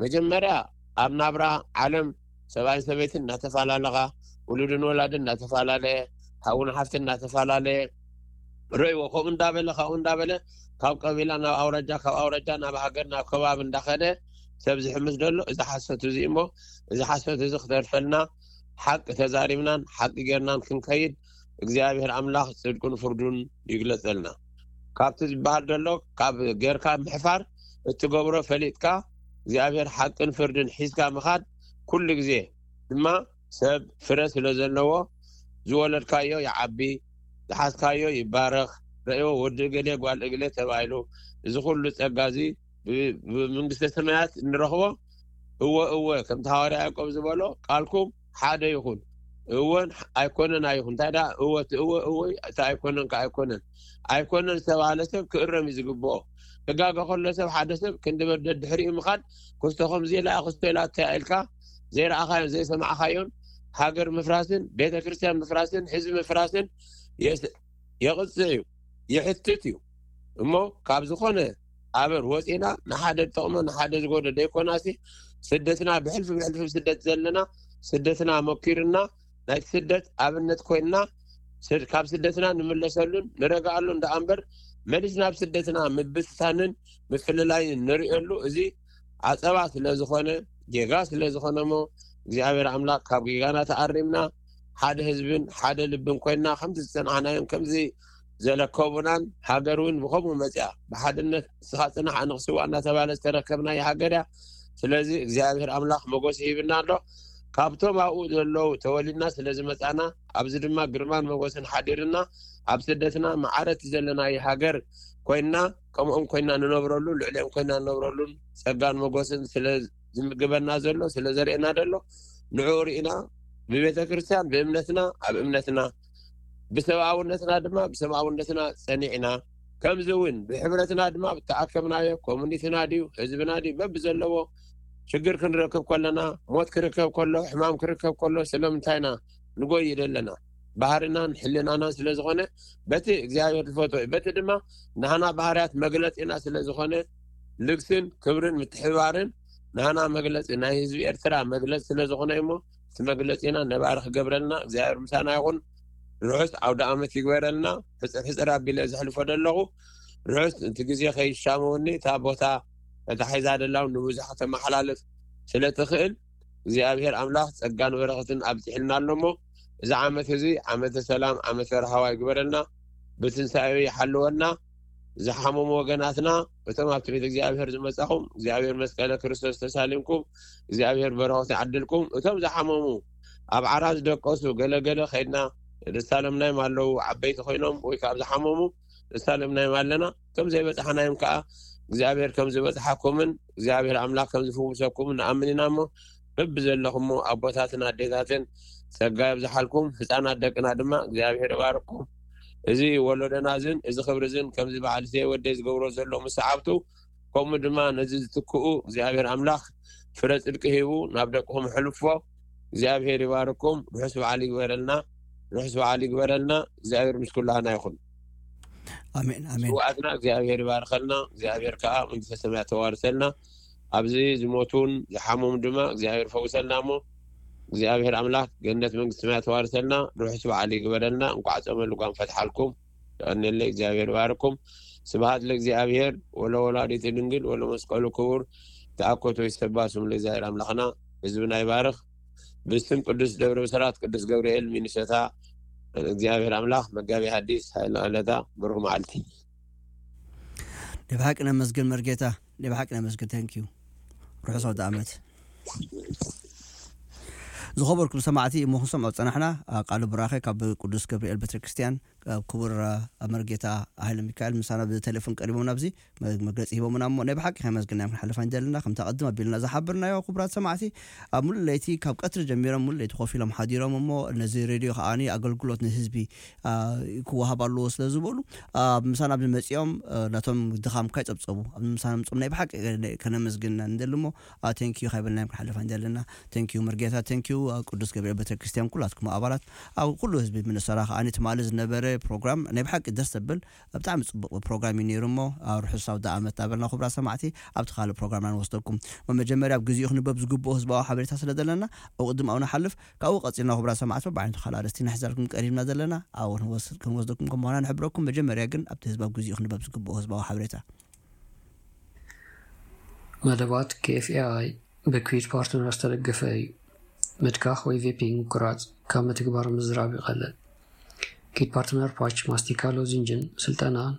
መጀመርያ ኣብ ናብራ ዓለም ሰብኣይን ሰበይትን እናተፈላለኻ ውሉድን ወላድን እናተፈላለየ ሓውን ሓፍትን እናተፈላለየ ረእይዎ ከምኡ እንዳበለ ካብኡ እንዳበለ ካብ ቀቢላ ናብ ኣውራጃ ካብ ኣውራጃ ናብ ሃገር ናብ ከባቢ እንዳኸደ ሰብ ዝሕምስ ዘሎ እዚ ሓሶት እዚ እሞ እዚ ሓሶት እዚ ክተርፈልና ሓቂ ተዛሪብናን ሓቂ ጌርናን ክንከይድ እግዚኣብሔር ኣምላኽ ጽድቁን ፍርዱን ይግለጸልና። ካብቲ ዝበሃል ዘሎ ካብ ጌርካ ምሕፋር እትገብሮ ፈሊጥካ እግዚኣብሔር ሓቅን ፍርድን ሒዝካ ምኻድ ኩሉ ግዜ ድማ ሰብ ፍረ ስለ ዘለዎ ዝወለድካዮ ይዓቢ ዝሓዝካዮ ይባረኽ ረእዮ ወዲ እገሌ ጓል እግሌ ተባሂሉ እዚ ኩሉ ጸጋ እዚ ብመንግስተ ሰማያት እንረኽቦ እወ እወ ከምቲ ሃዋርያ ያዕቆብ ዝበሎ ቃልኩም ሓደ ይኹን እወን ኣይኮነን ኣይኹን እንታይ ደኣ እወ እቲ እወ እወ እቲ ኣይኮነን ከ ኣይኮነን ኣይኮነን ዝተባህለ ሰብ ክእረም እዩ ዝግብኦ ክጋገ ከሎ ሰብ ሓደ ሰብ ክንዲ በደል ድሕሪኡ ምኻድ ክስቶ ከምዚ ኢላ ክስቶ ኢላ ተያኢልካ ዘይረኣኻዮን ዘይሰማዕኻዮን ሃገር ምፍራስን ቤተ ክርስቲያን ምፍራስን ህዝቢ ምፍራስን የስ- የቕፅዕ እዩ ይሕትት እዩ እሞ ካብ ዝኾነ ኣበር ወፂና ንሓደ ዝጠቕሞ ንሓደ ዝጎደ ዘይኮናሲ ስደትና ብሕልፊ ብሕልፊ ስደት ዘለና ስደትና መኪርና ናይ ስደት ኣብነት ኮይንና ስድ- ካብ ስደትና ንምለሰሉን ንረግኣሉ እንዳ ኣንበር መሊስና ኣብ ስደትና ምብትታንን ምፍልላይን ንርእየሉ እዚ ዓፀባ ስለ ዝኾነ ጌጋ ስለ ዝኾነ እሞ እግዚኣብሔር ኣምላኽ ካብ ጌጋና ተኣሪምና ሓደ ህዝብን ሓደ ልብን ኮይንና ከምዚ ዝጸናሕናዮም ከምዚ ዘለከቡናን ሃገር እውን ብኸምኡ መጽያ ብሓድነት ንስኻ ጽናሕ ኣነ ክስዋእ እናተባለ ዝተረከብናዮ ሃገር እያ። ስለዚ እግዚኣብሔር ኣምላኽ መጎስ ይህብና ኣሎ። ካብቶም ኣብኡ ዘለዉ ተወሊድና ስለ ዝመጻና ኣብዚ ድማ ግርማን መጎስን ሓዲርና ኣብ ስደትና መዓረቲ ዘለናዮ ሃገር ኮይንና ከምኦም ኮይና ንነብረሉ ልዕሊኦም ኮይና ንነብረሉን ጸጋን መጎስን ስለ ዝምግበና ዘሎ ስለ ዘርእየና ዘሎ ንዕኡ ርኢና ብቤተ ክርስቲያን ብእምነትና ኣብ እምነትና ብሰብኣውነትና ድማ ብሰብኣውነትና ጸኒዕና ከምዚ እውን ብሕብረትና ድማ ብተኣከብናዮ ኮሚኒቲና ድዩ ህዝብና ድዩ በብዘለዎ ሽግር ክንረክብ ከለና ሞት ክርከብ ከሎ ሕማም ክርከብ ከሎ ስለምንታይና ንጎይ ዘለና ባህርናን ሕልናናን ስለ ዝኾነ በቲ እግዚኣብሔር ዝፈቶ እዩ በቲ ድማ ናህና ባህርያት መግለጺና ስለ ዝኾነ ልግስን ክብርን ምትሕባርን ናህና መግለጺ ናይ ህዝቢ ኤርትራ መግለጺ ስለ ዝኾነ እሞ እቲ መግለጺና ነባሪ ክገብረልና እግዚኣብሔር ምሳና ይኹን። ርሑስ ዓውደ ዓመት ይግበረልና። ሕፅር ሕፅር ኣቢለ ዘሕልፎ ዘለኹ ርሑስ እቲ ግዜ ከይሻመወኒ እታ ቦታ ተታሒዛ ደላው ንብዙሕ ከተመሓላልፍ ስለ ትኽእል እግዚኣብሔር ኣምላኽ ጸጋን በረኸትን ኣብዚሕልና ኣሎ እሞ እዚ ዓመት እዚ ዓመተ ሰላም ዓመተ ረሃዋ ይግበረልና። ብትንሳኤ ይሓልወና። ዝሓመሙ ወገናትና እቶም ኣብቲ ቤት እግዚኣብሔር ዝመጻኹም እግዚኣብሔር መስቀለ ክርስቶስ ተሳሊምኩም እግዚኣብሔር በረኸት ይዓድልኩም። እቶም ዝሓመሙ ኣብ ዓራት ዝደቀሱ ገለገለ ከይድና ንሳለምናዮም ኣለዉ ዓበይቲ ኮይኖም ወይ ካብ ዝሓመሙ ንሳለምናዮም ኣለና። እቶም ዘይበጻሕናዮም ከዓ እግዚኣብሔር ከም ዝበጽሓኩምን እግዚኣብሔር ኣምላኽ ከም ዝፍውሰኩም ንኣምን ኢና እሞ በብዘለኹሞ ኣቦታትን ኣዴታትን ጸጋ የብዝሓልኩም። ህፃናት ደቅና ድማ እግዚኣብሔር ይባርኩም። እዚ ወለዶና ዝን እዚ ክብሪ ዝን ከምዚ በዓል ዜ ወደይ ዝገብሮ ዘሎ ምስ ሰዓብቱ ከምኡ ድማ ነዚ ዝትክኡ እግዚኣብሔር ኣምላኽ ፍረ ጽድቂ ሂቡ ናብ ደቅኹም ሕልፎ። እግዚኣብሔር ይባርኩም። ርሑስ በዓል ይግበረልና። ርሑስ በዓል ይግበረልና። እግዚኣብሔር ምስ ኩላህና ይኹን። ኣሜን ኣሜን። ስውኣትና እግዚኣብሔር ይባርኸልና። እግዚኣብሔር ከዓ መንግስተ ሰማያት ተዋርሰልና። ኣብዚ ዝሞቱን ዝሓመሙ ድማ እግዚኣብሔር ፈውሰልና እሞ እግዚኣብሔር ኣምላኽ ገነት መንግስተ ሰማያት ተዋርሰልና። ርሑስ በዓል ይግበረልና። እንኳዕ ጾመ ልጓም ፈትሓልኩም። የቐንየለይ። እግዚኣብሔር ይባርኩም። ስብሃት ለእግዚኣብሔር ወለወላዲት ድንግል ወለመስቀሉ ክቡር። ተኣኮቶ ይሰባ ስሙ ለእግዚኣብሔር ኣምላኽና። ህዝብና ይባርኽ። ብስም ቅዱስ ደብረ ብስራት ቅዱስ ገብርኤል ሚኒሶታ እግዚኣብሔር ኣምላኽ መጋቢ ሓዲስ ሃይለ ዕለታ ብሩኽ መዓልቲ። ናይ ብሓቂ ነመስግን መርጌታ፣ ናይ ብሓቂ ነመስግን። Thank you። ርሑስ ኣውደ ዓመት። ዝኸበርኩም ሰማዕቲ እሞ ክንሰምዖ ዝጸናሕና ቃል ብራኸ ካብ ቅዱስ ገብርኤል ቤተክርስትያን ክቡር መርጌታ ሃይለ ሚካኤል ምሳና ብቴሌፎን ቀሪቦም ናብዚ መግለፂ ሂቦምና እሞ ናይ ብሓቂ ከመስግናዮም ክንሓልፍ ኣይንደልና። ከምቲ ኣቐድም ኣቢልና ዝሓበርናዮ ክቡራት ሰማዕቲ ኣብ ሙሉእ ለይቲ ካብ ቀትሪ ጀሚሮም ሙሉእ ለይቲ ኮፍ ኢሎም ሓዲሮም እሞ ነዚ ሬድዮ ከዓኒ ኣገልግሎት ንህዝቢ ክወሃብ ኣለዎ ስለ ዝበሉ ምሳና ኣብዚ መፂኦም ነቶም ድኻምካ ይፀብፀቡ ኣብ ምሳና ምፅኦም ናይ ብሓቂ ከነመስግን ንደሊ እሞ ቴንኪዩ ካይበልናዮም ክንሓልፍ ኣይንደልና። ቴንኪዩ መርጌታ ቴንኪዩ ቅዱስ ገብርኤል ቤተክርስትያን ኩላትኩም ኣባላት ኣብ ኩሉ ህዝቢ ምንሰራ ከዓኒ ትማሊ ዝነበረ ፕሮግራም ናይ ብሓቂ ደስ ዘብል ብጣዕሚ ፅቡቅ ፕሮግራም እዩ ነይሩ እሞ ርሑስ ኣውደ ዓመት እናበልና ክቡራት ሰማዕቲ ኣብቲ ካልእ ፕሮግራምና ንወስደኩም። መጀመርያ ኣብ ግዚኡ ክንበብ ዝግብኦ ህዝባዊ ሓበሬታ ስለ ዘለና ኣብ ቅድም ኣብኡ ንሓልፍ። ካብኡ ቀፂልና ክቡራት ሰማዕቲ በባዕይነቱ ካልእ ኣርእስቲ ንሕዘልኩም ቀሪብና ዘለና ኣብኡ ክንወስደኩም ከም ምዃና ንሕብረኩም። መጀመርያ ግን ኣብቲ ህዝቢ ኣብ ግዚኡ ክንበብ ዝግብኦ ህዝባዊ ሓበሬታ። መደባት ኬኤፍኤኣይ ብኩዊት ፓርትነር ዝተደገፈ እዩ። ምትካኽ ወይ ቬፒንግ ምቁራጽ ካብ ምትግባር ምዝራብ ይቐልል። ኪት ፓርትነር ፓች፣ ማስቲካ፣ ሎዚንጅን ስልጠናን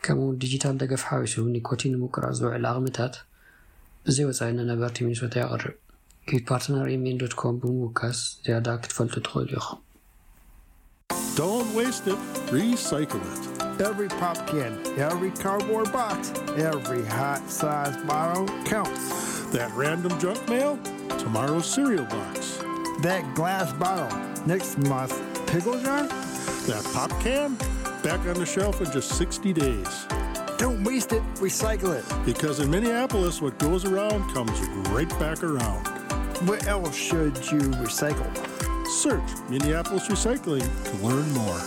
ከምኡውን ዲጂታል ደገፍ ሓዊሱ ኒኮቲን ንምቁራጽ ዝውዕል ዓቕምታት ብዘይ ወጻኢ ንነበርቲ ሚኒሶታ የቕርብ። ኪት ፓርትነር ኤምኤን ዶት ኮም ብምውካስ ዝያዳ ክትፈልጡ ትኽእሉ ኢኹም። Don't waste it, recycle it. Every pop can, every cardboard box, every hot size bottle counts. That random junk mail, tomorrow's cereal box. That glass bottle, next month's pickle jar. That pop can, back on the shelf in just sixty days. Don't waste it, recycle it. Because in Minneapolis, what goes around comes right back around. Where else should you recycle? Search Minneapolis Recycling to learn more.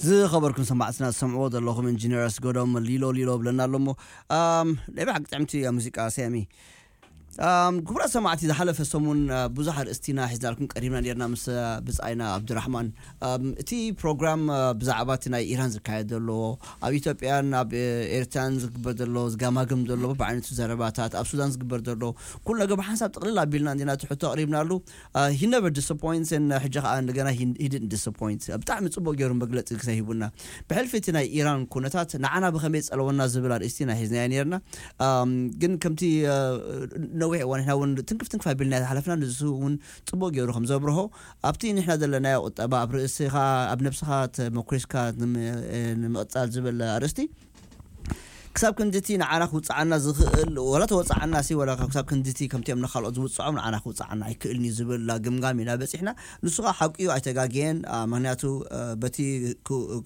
ዝኸበርኩም ሰማዕትና ዝሰምዕዎ ዘለኹም ኢንጂነር ኣስገዶም ሊሎ ሊሎ ብለና ኣሎ እሞ፣ ኣም፣ ናይ ብሓቂ ጥዕምቲ እያ ሙዚቃ ሰያሚ። ኣም፣ ክቡራት ሰማዕቲ፣ ዝሓለፈ ሰሙን፣ ኣ፣ ብዙሕ ኣርእስቲና ሒዝናልኩም ቀሪብና ነርና ምስ፣ ኣ፣ ብጻይና ኣብድራሕማን። ኣም፣ እቲ ፕሮግራም፣ ኣ፣ ብዛዕባ እቲ ናይ ኢራን ዝካየድ ዘሎ፣ ኣብ ኢትዮጵያን ኣብ፣ እ፣ ኤርትራን ዝግበር ዘሎ፣ ዝጋማግም ዘሎ ብዓይነቱ ዘረባታት፣ ኣብ ሱዳን ዝግበር ዘሎ ኩሉ ነገር ብሓንሳብ ጥቕልል ኣቢልና እንዲና ትሕቶ ኣቕሪብናሉ። ሂ ነቨር ዲስፖይንትስ። ሕጂ ከዓ እንደገና ሂ ዲድንት ዲስፖይንት። ብጣዕሚ ፅቡቅ ገይሩ መግለፂ ግዜ ሂቡና። ብሕልፊ እቲ ናይ ኢራን ኩነታት ንዓና ብከመይ ፀለወና ዝብል ኣርእስቲ ኢና ሒዝናዮ ነርና። ኣም፣ ግን ከምቲ፣ እ፣ ነዊሕ እዋን ንሕና እውን ትንክፍ ትንክፍ ኣቢልና ዝሓለፍና፣ ንሱ እውን ፅቡቅ ገይሩ ከም ዘብርሆ፣ ኣብቲ ንሕና ዘለናዮ ቁጠባ፣ ኣብ ርእስኻ፣ ኣብ ነብስኻ ተመኩሪስካ ንም-፣ እ፣ ንምቕፃል ዝብል ኣርእስቲ፣ ክሳብ ክንድቲ ንዓና ክውፅዓና ዝኽእል፣ ወላ ተወፅዓና ሲ፣ ወላ ክሳብ ክንድቲ ከምቲ እዮም ንኻልኦት ዝውፅዖም ንዓና ክውፅዓና ኣይክእልን እዩ ዝብል ግምጋም ኢና በፂሕና። ንሱ ከዓ ሓቂ እዩ፣ ኣይተጋግየን። ኣ፣ ምክንያቱ፣ እ፣ በቲ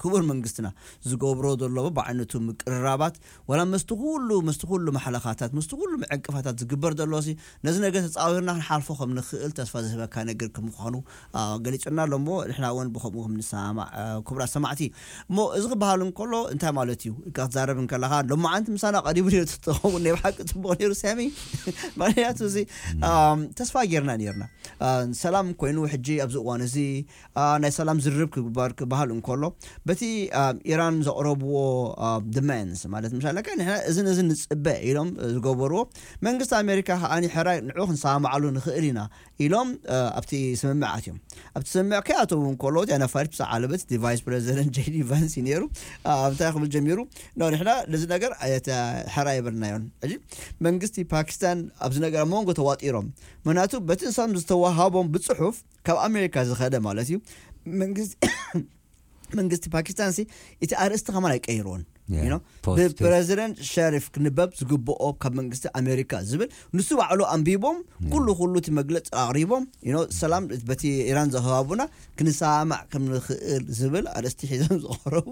ክቡር መንግስትና ዝገብሮ ዘሎ ብዓይነቱ ምቅርራባት፣ ወላ መስቲ ኩሉ፣ መስቲ ኩሉ ማሕለኻታት፣ መስቲ ኩሉ ዕንቅፋታት ዝግበር ዘሎ ሲ፣ ነዚ ነገር ተፃዊርና ክንሓልፎ ከም ንኽእል ተስፋ ዝህበካ ነገር ከም ምዃኑ፣ ኣ፣ ገሊጹና ኣሎ እሞ፣ ንሕና እውን ብኸምኡ ከም ንሰማማዕ፣ ኣ፣ ክቡራት ሰማዕቲ። እሞ እዚ ክበሃል እንከሎ እንታይ ማለት እዩ? ኢልካ ክትዛረብ እንከለኻ፣ ሎማዓንቲ ምሳና ቀሪቡ ነይሩ ተትኸውን ናይ ብሓቂ ጽቡቕ ነይሩ፣ ሳሚ። ምኽንያቱ እዚ፣ ኣም፣ ተስፋ ጌርና ነይርና። ኣ፣ ሰላም ኮይኑ፣ ሕጂ ኣብዚ እዋን እዚ፣ ኣ፣ ናይ ሰላም ዝርርብ ክግበር ክበሃል እንከሎ፣ በቲ፣ ኣ፣ ኢራን ዘቕረብዎ፣ ኣ፣ ዲማንድስ፣ ማለት፣ ምሻለካ፣ ንሕና እዝን እዝን ንጽበ ኢሎም ዝገበርዎ፣ መንግስቲ ኣሜሪካ ከኣ፣ ሕራይ ንዑ ክንሰማማዓሉ ንኽእል ኢና ኢሎም፣ እ፣ ኣብቲ ስምምዕ ኣትዮም። ኣብቲ ስምምዕ ከይኣተዉ እንከለዉ፣ እቲ ኣነፋሪት ብዛዕባ ዓለበት፣ እቲ ቫይስ ፕረዚደንት ጄዲ ቫንስ እዩ ነይሩ። እ፣ እንታይ ክብል ጀሚሩ? ኖ፣ ንሕና ነዚ ነገር ኣየተ-፣ ሕራይ ኣይበልናዮን። ሕጂ መንግስቲ ፓኪስታን ኣብዚ ነገር ኣብ መንጎ ተዋጢሮም። ምኽንያቱ በቲ ንሶም ዝተዋሃቦም ብጽሑፍ ካብ ኣሜሪካ ዝኸደ ማለት እዩ። መንግስቲ መንግስቲ ፓኪስታን ሲ እቲ ኣርእስቲ ከማን ኣይቀይርዎን። Yeah, you know? Positive። ብፕረዚደንት ሸሪፍ ክንበብ ዝግብኦ ካብ መንግስቲ ኣሜሪካ ዝብል ንሱ ባዕሉ ኣንቢቦም፣ yeah፣ ኩሉ ኩሉ እቲ መግለፂ ኣቕሪቦም፣ you know፣ ሰላም በቲ ኢራን ዘኸባቡና ክንሰማማዕ ከም ንኽእል ዝብል ኣርእስቲ ሒዞም ዝቐረቡ፣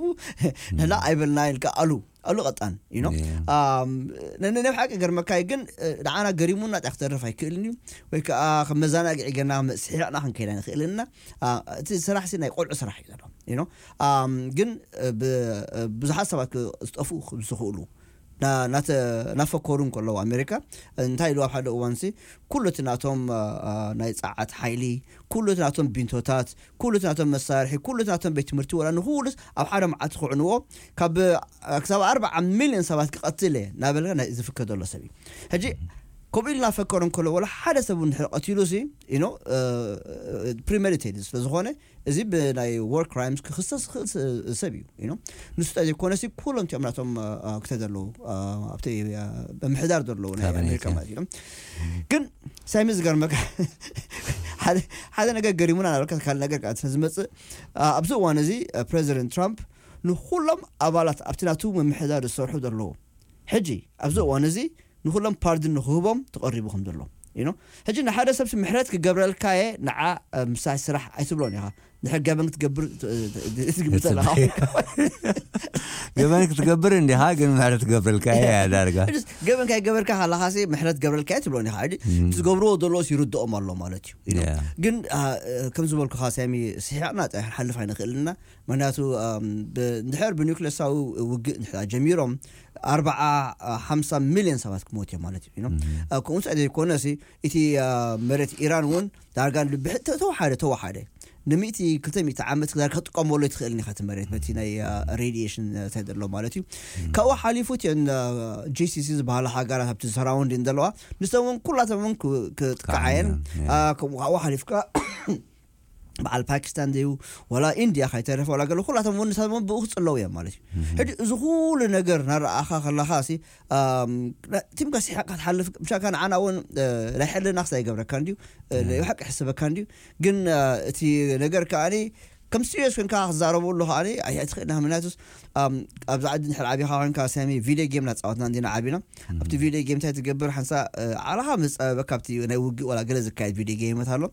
ንሕና ኣይበልናዮን ኢልካ ኣሉ፣ ኣሉ ቀጣን፣ you know? Yeah። ኣም፣ ነ-፣ ነ-፣ ናይ ብሓቂ ገርመካይ ግን፣ እ፣ ንዓና ገሪሙና እንታይ ክተርፍ ኣይክእልን እዩ፣ ወይ ከዓ ከም መዘናግዒ ጌርና ስሒቕና ክንከይድ ኣይንኽእልን ኢና። ኣ፣ እቲ ስራሕ ሲ ናይ ቆልዑ ስራሕ እዩ ዘሎ፣ you know? ኣም፣ ግን፣ እ፣ ብ-፣ እ፣ ብዙሓት ሰባት ክ-፣ ዝጠፍኡ ዝኽእሉ፣ ና-፣ ናተ-፣ ናፈከሩ እንከለዉ ኣሜሪካ እንታይ ኢሉ ኣብ ሓደ እዋን ሲ፣ ኩሉ እቲ ናቶም፣ እ፣ እ፣ ናይ ጸዓት ሓይሊ፣ ኩሉ እቲ ናቶም ቢንቶታት፣ ኩሉ እቲ ናቶም መሳርሒ፣ ኩሉ እቲ ናቶም ቤት ትምህርቲ፣ ወላ ንኹሉስ ኣብ ሓደ መዓልቲ ክዕንዎ፣ ካብ፣ እ፣ ክሳብ ኣርባዓ ሚልዮን ሰባት ክቐትል እየ እናበለ ናይ ዝፍከር ዘሎ ሰብ እዩ። ሕጂ ከምኡ ኢሉ እናፈከሩ እንከሎ፣ ወላ ሓደ ሰብ እውን ድሕሪ ቀቲሉ ሲ፣ you know፣ እ፣ እ፣ ፕሪሜዲቴትድ ስለ ዝኾነ፣ እዚ ብናይ ዎር ክራይምስ ክኽሰስ ዝኽእል ስ-፣ ሰብ እዩ፣ you know። ንሱ ጥራይ ዘይኮነ ሲ፣ ኩሎም እቲኦም ናቶም፣ እ፣ እ፣ ክተ ዘለዉ፣ እ፣ ኣብቲ፣ እ፣ ምምሕዳር ዘለዉ ናይ ካቢኔት፣ ኣሜሪካ፣ እ፣ ማለት እዩ። ግን ሳይሚ ዝገርመካ ሓደ፣ ሓደ ነገር ገሪሙና ናበልካ ካልእ ነገር ከዓ ስለ ዝመጽእ፣ እ፣ ኣብዚ እዋን እዚ፣ እ፣ ፕረዚደንት ትራምፕ ንኹሎም ኣባላት ኣብቲ ናቱ ምምሕዳር ዝሰርሑ ዘለዉ ሕጂ ኣብዚ እዋን እዚ ንኹሎም ፓርድን ንክህቦም ተቐሪቡ ከም ዘሎ፣ you know። ሕጂ ንሓደ ሰብ ምሕረት ክገብረልካ እየ ንዓ፣ እ፣ ምሳይ ስራሕ ኣይትብሎን ኢኻ። ድሕር ገበን ክትገብር ት-፣ ት-፣ ትግምት ኣለኻ። ገበን ክትገብር እንዲኻ፣ ግን ምሕረት ትገብረልካ እያ ዳርጋ። ሕጂ ገበን ካይገበርካ ከለኻ ሲ ምሕረት ገብረልካ እየ ትብሎን ኢኻ። ሕጂ እም። እቲ ዝገብርዎ ዘለዎስ ይርድኦም ኣሎ ማለት እዩ፣ you know። ያ። ግን፣ ኣ፣ እ፣ ከም ዝበልኩኻ ሳሚ፣ ስሒቕና ጥራሕ ክንሓልፍ ኣይንኽእልና። ምክንያቱ፣ ኣም፣ ብ-፣ እንድሕር ብኒውክሌሳዊ ውግእ እንድሕር ጀሚሮም፣ ኣርባዓ፣ ሓምሳ ሚልዮን ሰባት ክሞት እዮም ማለት እዩ፣ you know? እም። ኣ፣ ከምኡ እንታይ ዘይኮነ ሲ፣ እቲ፣ ኣ፣ መሬት ኢራን እውን ዳርጋ ንብሕ-፣ ተ-፣ ተወሓደ፣ ተወሓደ። ንሚእቲ፣ ክልተ ሚእቲ ዓመት ዳርጋ ክትጥቀመሉ ኣይትኽእልን ኢኻ እቲ መሬት፣ በቲ ናይ፣ ኣ፣ ሬዲዬሽን፣ ኣ፣ እንታይ ዘሎ ማለት እዩ። እም። ካብኡ ሓሊፉ እቲአን፣ ኣ፣ ጂ ሲ ሲ ዝበሃላ ሃገራት ኣብቲ ሰራውንዲን ዘለዋ፣ ንሰን እውን ኩላተን እውን ክ-፣ ክጥቃዓ እየን። ክዓብያ፣ ያ። ኣ፣ ከምኡ ካብኡ ሓሊፍካ በዓል ፓኪስታን ድዩ፣ ወላ ኢንድያ ካይተረፈ፣ ወላ ገለ ኩላቶም እውን ንሳቶም እውን ብኡ ክጽለዉ እዮም ማለት እዩ። እህ። ሕጂ እዚ ኩሉ ነገር እናረኣኻ ከለኻ ሲ፣ ኣም፣ ና-፣ ቲምካ ስሒቕካ ትሓልፍ፣ ምሻካ ንዓና እውን፣ እ፣ ናይ ሕልና ክሳይ ይገብረካ እንድዩ፣ እ፣ እህ። ናይ ብሓቂ ይሕስበካ እንድዩ። ግን፣ እ፣ እቲ ነገር ከኣኒ ከም ሲሪየስ ኮንካ ክዛረበሉ ከኣኒ ኣይ-፣ ኣይትኽእልን። ምክንያቱስ፣ ኣም፣ ኣብዚ ዓዲ እንድሕር ዓቢኻ ኮንካ ሳሚ ቪድዮ ጌም እናተጻወትና እንዲና ዓቢና። እህ። ኣብቲ ቪድዮ ጌም እንታይ ትገብር? ሓንሳ፣ እ፣ ዓለኻ ምስ ጸበበካ ኣብቲ ናይ ውግእ ዋላ ገለ ዝካየድ ቪድዮ ጌምታት ኣሎ።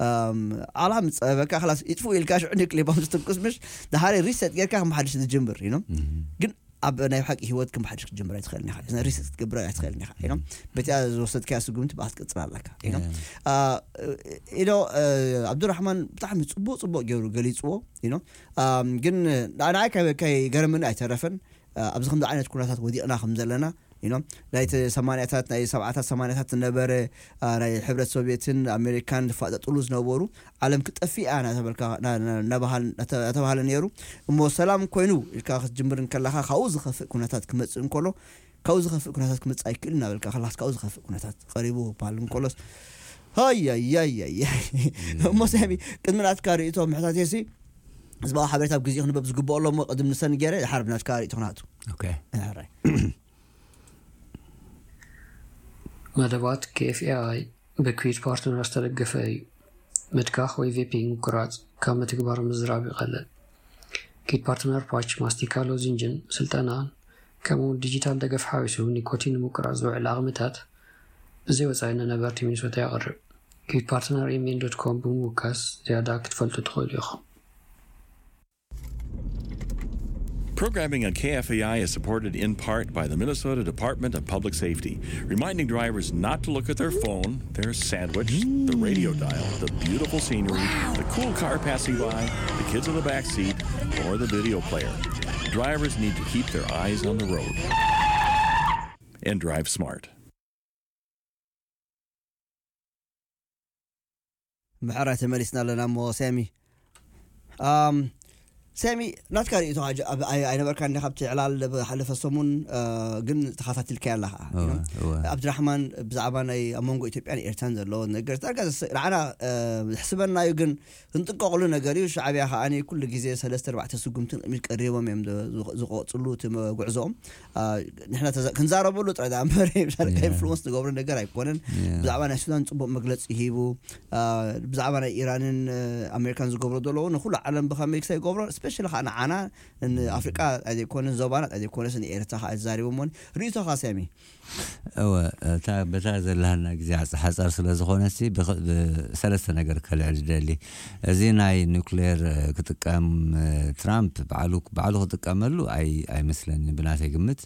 ኣም፣ ዓለኻ ምስ ጸበበካ ክላስ ይጥፍኡ ኢልካ ሽዑ ኒክሌር ቦምብ ዝትኩስ ምሽ፣ ድሓሪ ሪሰት ጌርካ ከም ሓድሽ ዝጅምር፣ you know? እህ። ግን ኣብ ናይ ሓቂ ህይወት ከም ሓድሽ ክትጀምር ኣይትኽእልን ኢኻ። ሪስክ ክትገብር ኣይትኽእልን ኢኻ። ኢኖ በቲያ ዝወሰድካያ ስጉምቲ ብኣ ክትቅጽል ኣለካ። ኢኖ ኢኖ ኣብዱራሕማን ብጣዕሚ ጽቡቅ ጽቡቅ ገይሩ ገሊጽዎ። ኢኖ ግን ንዓይ ከይገረመኒ ኣይተረፈን። ኣብዚ ከምዚ ዓይነት ኩነታት ወዲቕና ከም ዘለና ኢኖ ናይቲ ሰማንያታት ናይ ሰብዓታት ሰማንያታት ዝነበረ ናይ ሕብረት ሶቪየትን ኣሜሪካን ዝፋጠጥሉ ዝነበሩ ዓለም ክጠፍእ እያ እናተባህለ ነይሩ። እሞ ሰላም ኮይኑ ኢልካ ክትጅምር እንከለኻ ካብኡ ዝኸፍእ ኩነታት ክመፅእ እንከሎ ካብኡ ዝኸፍእ ኩነታት ክመፅእ ኣይክእል እናበልካ ከላስ ካብኡ ዝኸፍእ ኩነታት ቀሪቡ ክበሃል እንከሎስ ሃያያያያ። እሞ ሳሚ ቅድሚ ናትካ ርእቶ ምሕታት የሲ ዝበኣ ሓበሬታ ኣብ ግዜ ክንበብ ዝግብኦ ኣሎ። እሞ ቅድም ንሰን ገይረ ሓርብ ናትካ ርእቶ ክናቱ ኦኬ። ሕራይ መደባት ኬኤፍኤኣይ ብኩዊት ፓርትነር ዝተደገፈ እዩ። ምትካኽ ወይ ቬፒንግ ምቁራጽ ካብ ምትግባር ምዝራብ ይቐልል። ኪት ፓርትነር ፓች፣ ማስቲካ፣ ሎዚንጅን ስልጠናን ከምኡ እውን ዲጂታል ደገፍ ሓዊሱ ኒኮቲን ንምቁራጽ ዝውዕል ዓቕምታት ብዘይ ወጻኢ ንነበርቲ ሚኒሶታ የቕርብ። ኪት ፓርትነር ኤምኤን ዶት ኮም ብምውካስ ዝያዳ ክትፈልጡ ትኽእሉ ኢኹም። Programming on K F A I is supported in part by the Minnesota Department of Public Safety, reminding drivers not to look at their phone, their sandwich, the radio dial, the beautiful scenery, the cool car passing by, the kids in the back seat, or the video player. Drivers need to keep their eyes on the road and drive smart. ምሕራይ ተመሊስና ኣለና። እሞ ሳሚ ሳሚ ናትካ ርእቶ ኣይነበርካ እንዲ ካብቲ ዕላል ሓለፈ ሰሙን ግን ተኸታቲልካ ኣለኻ። ኣብድራሕማን ብዛዕባ ናይ ኣብ መንጎ ኢትዮጵያን ኤርትራን ዘለዎ ነገር ዳርጋ ንዓና ዝሕስበና እዩ። ግን ክንጥንቀቕሉ ነገር እዩ። ሻዕብያ ከዓኒ ኩሉ ግዜ ሰለስተ ኣርባዕተ ስጉምትን ቅድሚት ቀሪቦም እዮም ዝቆፅሉ እቲ ጉዕዞኦም። ንሕና ክንዛረበሉ ጥራይ ዳ እምበር ኢንፍሉወንስ ንገብሮ ነገር ኣይኮነን። ብዛዕባ ናይ ሱዳን ፅቡቅ መግለፂ ሂቡ፣ ብዛዕባ ናይ ኢራንን ኣሜሪካን ዝገብሮ ዘለዉ ንኩሉ ዓለም ብከመይ ክሳይ ይገብሮ ስፔሻሊ ከዓ ንዓና ንኣፍሪቃ ኣይዘይኮነን ዞባና ኣይዘይኮነስ ንኤርትራ ከዓ ዝዛሪቦ እሞ ርእቶካ ሳሚ። እወ እታ በታ ዘለሃና ግዜ ሓፃር ስለ ዝኾነሲ ብሰለስተ ነገር ከልዕል ዝደሊ። እዚ ናይ ኒክሌር ክጥቀም ትራምፕ ባዕሉ ባዕሉ ክጥቀመሉ ኣይመስለኒ ብናተይ ግምት።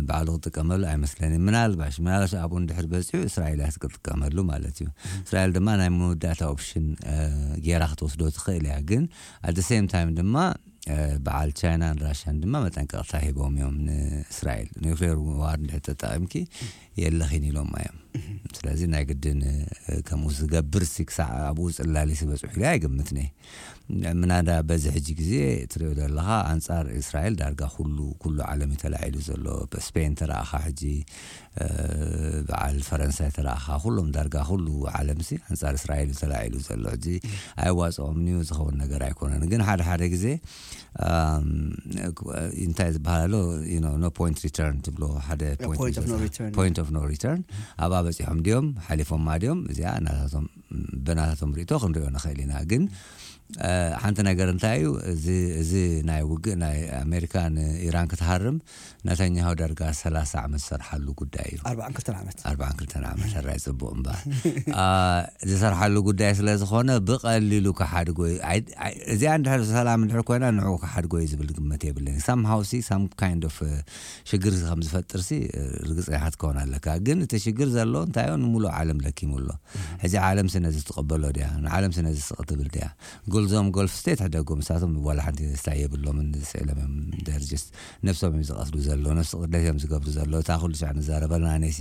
ባዕሉ ክጥቀመሉ ኣይመስለኒ። ምናልባሽ ምናልባሽ ኣብኡ እንድሕር በፂሑ እስራኤል እያ ክትጥቀመሉ ማለት እዩ። እስራኤል ድማ ናይ መወዳእታ ኦፕሽን ገይራ ክትወስዶ ትኽእል እያ። ግን ኣት ሴም ታይም ድማ በዓል ቻይናን ራሽያን ድማ መጠንቀቕታ ሂቦም እዮም ንእስራኤል። ኒክሌር ዋር እንድሕር ተጠቒምኪ የለኺን ኢሎም እዮም። ስለዚ ናይ ግድን ከምኡ ዝገብር ሲ ክሳዕ ኣብኡ ፅላሊ ስበፅሑ ኢለ ኣይግምትኒ። ምናዳ በዚ ሕጂ ግዜ ትሪኦ ዘለኻ ኣንፃር እስራኤል ዳርጋ ኩሉ ኩሉ ዓለም እዩ ተላዒሉ ዘሎ። ስፔን ተረኣኻ ሕጂ በዓል ፈረንሳይ ተረኣኻ ኩሎም ዳርጋ ኩሉ ዓለም ሲ ኣንፃር እስራኤል እዩ ተላዒሉ ዘሎ። ሕጂ ኣይዋፅኦም እዩ ዝኸውን ነገር ኣይኮነን። ግን ሓደ ሓደ ግዜ እንታይ ዝበሃል ኣሎ no point return ትብሎ ሓደ point of no return ኣብኣ በፂሖም ድዮም ሓሊፎማ ድዮም እዚኣ ናታቶም ብናታቶም ርእቶ ክንሪኦ ንኽእል ኢና። ግን ሓንቲ ነገር እንታይ እዩ እዚ ናይ ውግእ ናይ ኣሜሪካ ንኢራን ክትሃርም ነተኛሁ ዳርጋ ሰላሳ ዓመት ዝሰርሓሉ ጉዳይ እዩ። ኣርባዓን ክልተን ዓመት ኣርባዓን ክልተን ዓመት ሕራይ ፅቡቅ እምበር ዝሰርሓሉ ጉዳይ ስለ ዝኾነ ብቀሊሉ ክሓድጎ እዚኣ እንድሕር ሰላም እንድሕር ኮይና ንዕኡ ክሓድጎ እዩ ዝብል ግምት የብለይ። ሳምሃው ሲ ሳም ካይንድ ኦፍ ሽግር ከም ዝፈጥር ሲ ርግፀኛ ክትከውን ኣለካ። ግን እቲ ሽግር ዘሎ እንታይ ንሙሉእ ዓለም ለኪሙ ኣሎ። ሕዚ ዓለም ሲ ነዚ ትቕበሎ ድያ? ንዓለም ሲ ነዚ ስቕ ትብል ድያ? ጉልዞም ጎልፍ ስቴት ሕደጎም ንሳቶም ዋላ ሓንቲ ስታይ የብሎምን ስዕሎም እዮም ደርጅስ ነብሶም እዮም ዝቐትሉ ዘሎ ነብሲ ቅድለት እዮም ዝገብሩ ዘሎ እታ ኩሉ ሻዕ ንዛረበልና ነሲ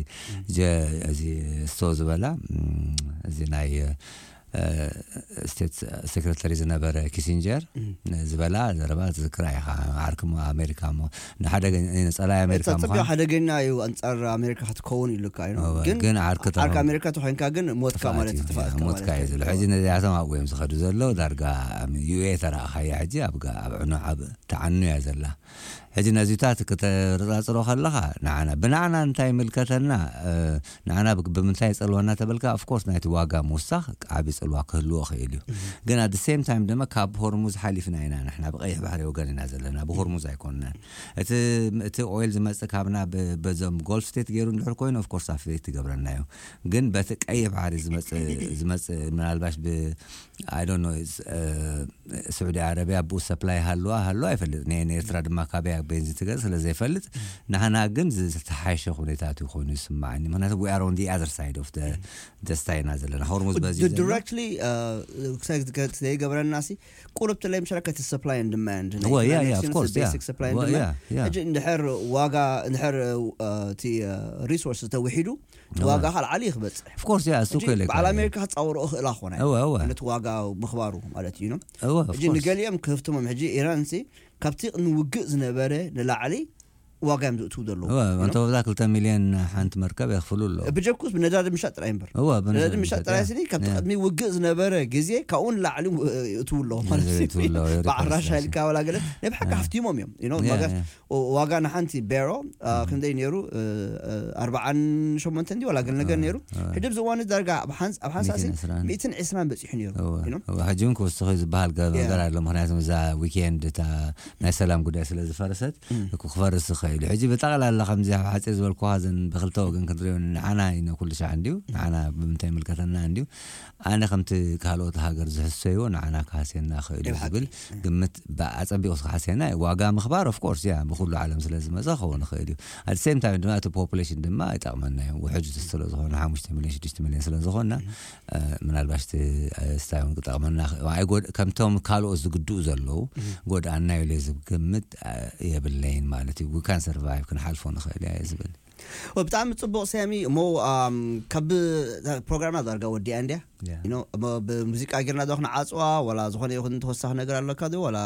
እዚ ስቶ ዝበላ እዚ ናይ ስቴት ሴክረተሪ ዝነበረ ኪሲንጀር ዝበላ ዘረባ ትዝክራ ኢኻ። ዓርኪ ኣሜሪካ ሞ ንሓደገ ጸላይ ኣሜሪካ ምዃን ሓደገኛ እዩ ኣንጻር ኣሜሪካ ክትከውን ኢሉካ እዩ። ግን ዓርኪ ዓርኪ ኣሜሪካ ተኮይንካ ግን ሞትካ ማለት እዩ። ጥፋእካ ሞትካ ማለት እዩ ዝሎ እዩ። ሕጂ ነዚኣቶም ኣብኡ እዮም ዝኸዱ ዘለዉ። ዳርጋ ዩኤ ተረኣኻያ ሕጂ ኣብ ጋ- ኣብ ዕኖ ዓብ ተዓኑ እያ ዘላ። ሕጂ ነዚታት ክተረጻጽሮ ከለኻ ንዓና ብንዓና እንታይ ይምልከተና? እ፣ ንዓና ብ- ብምንታይ ይጸልወና ተበልካ? ኦፍኮርስ ናይቲ ዋጋ ምውሳኽ ዓቢ ጽልዋ ክህልዎ ክእል እዩ። ግን at the same time ድማ ካብ ሆርሙዝ ሓሊፍና ኢና ንሕና ብቀይሕ ባሕሪ ወገን ኢና ዘለና፣ ብሆርሙዝ ኣይኮንናን። እቲ እቲ ኦይል ዝመጽእ ካብና ብ- በዞም ጎልፍ ስቴት ገይሩ እንድሕር ኮይኑ of course affect ትገብረና እዩ። ግን በቲ ቀይሕ ባሕሪ ዝመጽእ ዝመጽእ ምናልባሽ ብ I don't know it's, uh, ስዑዲ ዓረብያ ብኡ ሰፕላይ ሃልዋ ሃልዋ ኣይፈልጥ ነ ንኤርትራ ድማ ካበያ ቤንዚን ትገዝ ስለ ዘይፈልጥ ንሕና ግን ዝተሓሸ ኩነታት እዩ ኮይኑ ይስማዓኒ። ምክንያቱ we are on the other side of the ደስታ ኢና ዘለና። ሆርሙዝ በዚ ዘሎ directly ዘይገብረና ሲ ቁርብ ትለይ ምሸራ ከቲ supply and demand እወ yeah yeah of course yeah supply and እወ demand yeah yeah ሕጂ እንድሕር ዋጋ እንድሕር እቲ resource ተውሒዱ ዋጋ ካልዓሊ ይክበፅሕ of course yeah እሱ ሕጂ ከለ በዓል ኣሜሪካ ክፃወሮ እኽእላ ኮነ እወ እወ ነቲ ዋጋ ምኽባሩ ማለት እዩ ነው እወ of ሕጂ course ንገሊኦም ክህፍትሞም ሕጂ ኢራን ሲ ካብቲ ንውግእ ዝነበረ ንላዕሊ ዋጋ እዮም ዝእትዉ ዘለዉ እወ እንተ ወዛ ክልተ ሚልዮን ሓንቲ መርከብ የኽፍሉ ኣለዉ ብጀኩስ ብነዳዲ ምሻጥ ጥራይ እምበር እወ ነዳዲ ምሻጥ ጥራይ ስኒ ካብቲ ቅድሚ ውግእ ዝነበረ ግዜ ካብኡ ንላዕሊ እትዉ ኣለዉ ማለት እዩ። እትዉ ኣለዉ፣ ይርኮርስ ብዓራሻ ራሲ። ኢልካ ዋላ ገለ ናይ ብሓቂ ሃፍቲሞም እዮም you know Yeah, ማጋስ yeah. ዋጋ ንሓንቲ ቤሮ ክንደይ ነይሩ ኣርባዓን ሸሞንተን ድዩ ዋላ ገለ ነገር ነይሩ ሕጂ ኣብዚ እዋን ዳርጋ ኣብ ሓንስ- ኣብ ሓንሳሲ ሚእትን ዕስራን። ሚእትን ዕስራን በፂሑ ነይሩ እወ፣ you know? እወ፣ ሕጂ እውን ክውስኺ ዝበሃል ገ- Yeah. ነገር ኣሎ። ምክንያቱ እዛ ዊኬንድ እታ ናይ ሰላም ጉዳይ ስለ ዝፈረሰት እኩ ክፈርስ ይኽእል እዩ። ሕጂ ብጠቕላላ ከምዚ ኣብ ሓፂር ዝበልኩዋ ዘን ብክልተ ወገን ክንሪኦ ንዓና ኢነ ኩሉ ሻዕ እንድዩ ንዓና ብምንታይ ይምልከተና እንድዩ ኣነ ከምቲ ካልኦት ሃገር ዝሕሰይዎ ንዓና ክሃስየና ክእል እዩ ብሓቂ። ዝብል ግምት ኣፀቢቑ ክሃስየና እዩ። ዋጋ ምኽባር of course yeah ብኩሉ ዓለም ስለ ዝመፀ ክኸውን ይኽእል እዩ። At the same time ድማ እቲ ፖፑሌሽን ድማ ይጠቕመና እዩ። ውሕጅ ስለ ዝኾነ ሓሙሽተ ሚልዮን ሽዱሽተ ሚልዮን ስለ ዝኾንና ምናልባሽ እቲ ስታይ እውን ክጠቕመና ይኽእል። ኣይጎድ- ከምቶም ካልኦት ዝግድኡ ዘለዉ ጎድኣና እዩ ኢለ ዝግምት የብለይን ማለት እዩ። We can survive ክንሓልፎ ንኽእል እያ እየ ዝብል። ብጣዕሚ ፅቡቕ ሳሚ እሞ ኣም፣ ካብ ፕሮግራምና ዳርጋ ወዲኣ እንድያ Yeah. You know፣ እሞ ብሙዚቃ ጌርና ዶ ክንዓፅዋ ወላ ዝኾነ ይኹን ተወሳኺ ነገር ኣለካ ዶ ወላ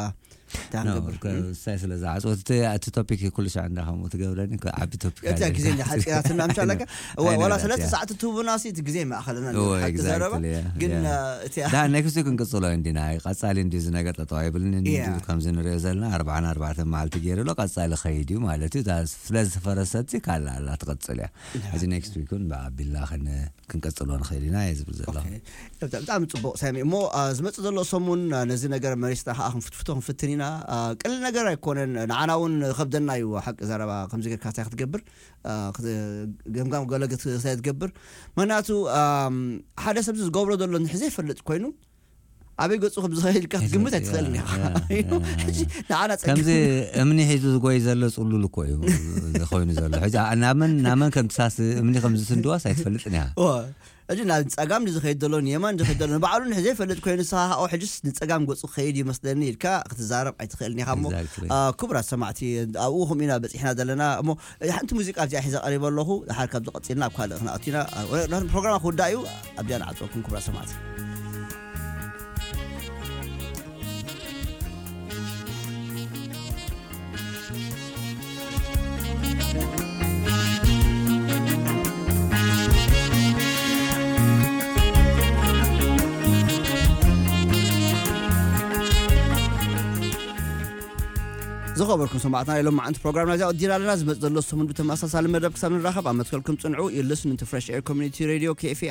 እንታይ No, ክንገብር ከ- ሳይ ስለ ዝዓፅወት እቲ- እቲ ቶፒክ ኩሉ ሻዕ እንዳ ከምኡ ትገብረኒ ከ- ዓቢ ቶፒክ እታ ግዜ እንዳ ሓፂራትና ምሻ ኣለካ ወላ ኣይነበረት ሰለስተ እያ። ሰዓት ትህቡና ሲ እቲ ግዜ ማእኸልና እወ፣ ሓቂ ዘረባ exactly, yeah, ግን yeah. እ፣ እቲ ዳ ኔክስት ዊክ ክንቅፅሎ እንዲና ቀፃሊ እንዲ እዚ ነገር ጠጠው ኣይብልን እንዲ Yeah. ከምዚ ንሪኦ ዘለና ኣርባዓን ኣርባዕተን መዓልቲ ገይሩ ኣሎ ቀፃሊ ከይድ እዩ ማለት እዩ። እታ ስለ ዝፈረሰት ካልኣ ኣላ ትቐፅል እያ። እዚ ኔክስት ዊክ እውን ብኣቢልና ክን- ክንቀፅሎ ንኽእል ኢና እየ ዝብል ዘለኹ። ኦኬ። ብጣ- ብጣዕሚ ፅቡቕ ሳሚ እሞ አ፣ ዝመፅእ ዘሎ ሰሙን አ፣ ነዚ ነገር መሪስና ከዓ ክንፍትፍቶ ክንፍትን ኢና። አ፣ ቀሊል ነገር ኣይኮነን። ንዓና እውን ከብደና እዩ ሓቂ ዘረባ ከምዚ ጌርካ እንታይ ክትገብር አ፣ ክት- ገምጋም ገለ ግት- እንታይ ትገብር ምክንያቱ ኣም፣ ሓደ ሰብ ዝገብሮ ዘሎ ንሕ ዘይፈልጥ ኮይኑ ኣበይ ገፁ ከም ዝኸይድ ኢልካ ግምት ኣይትኽእልን ኢኻ። ያ፣ ያ፣ ያ። ንዓና ከምዚ ፀገም እምኒ ሒዙ ዝጎይ ዘሎ ፅሉል እኮ እዩ ኮይኑ ዘሎ። ሕጂ ኣ- ናመን ናመን ከም ትሳስ እምኒ ከም ዝስንድዋስ ኣይትፈልጥን ኢኻ። እወ። ሕጂ ናብ ፀጋም ዝኸይድ ዘሎ ንየማን ዝኸይድ ዘሎ ንባዕሉ ንሕ ዘይፈልጥ ኮይኑ ንስኻ ካኦ ሕጅስ ንፀጋም ገፁ ክኸይድ ይመስለኒ ኢልካ ክትዛረብ ኣይትኽእልን ኢኻ እሞ Exactly. አ፣ ክቡራት ሰማዕቲ ኣብኡ ከምኡ ኢና በፂሕና ዘለና እሞ ሓንቲ ሙዚቃ ኣብዚኣ ሒዘ ቀሪበ ኣለኹ ድሓር ካብዚ ቀፂልና ኣብ ካልእ ክንኣቱ ኢና ፕሮግራም ክውዳእ እዩ ኣብዚኣ ንዓፅወኩም ክቡራት ሰማዕቲ ዝኸበርኩም ሰማዕትና ኢሎም መዓንቲ ፕሮግራምና እዚኣ ወዲና ኣለና ዝመፅ ዘሎ ሰሙን ብተመሳሳሊ መደብ ክሳብ ንራኸብ ኣብ መትከልኩም ፅንዑ you listening to fresh air community radio kfi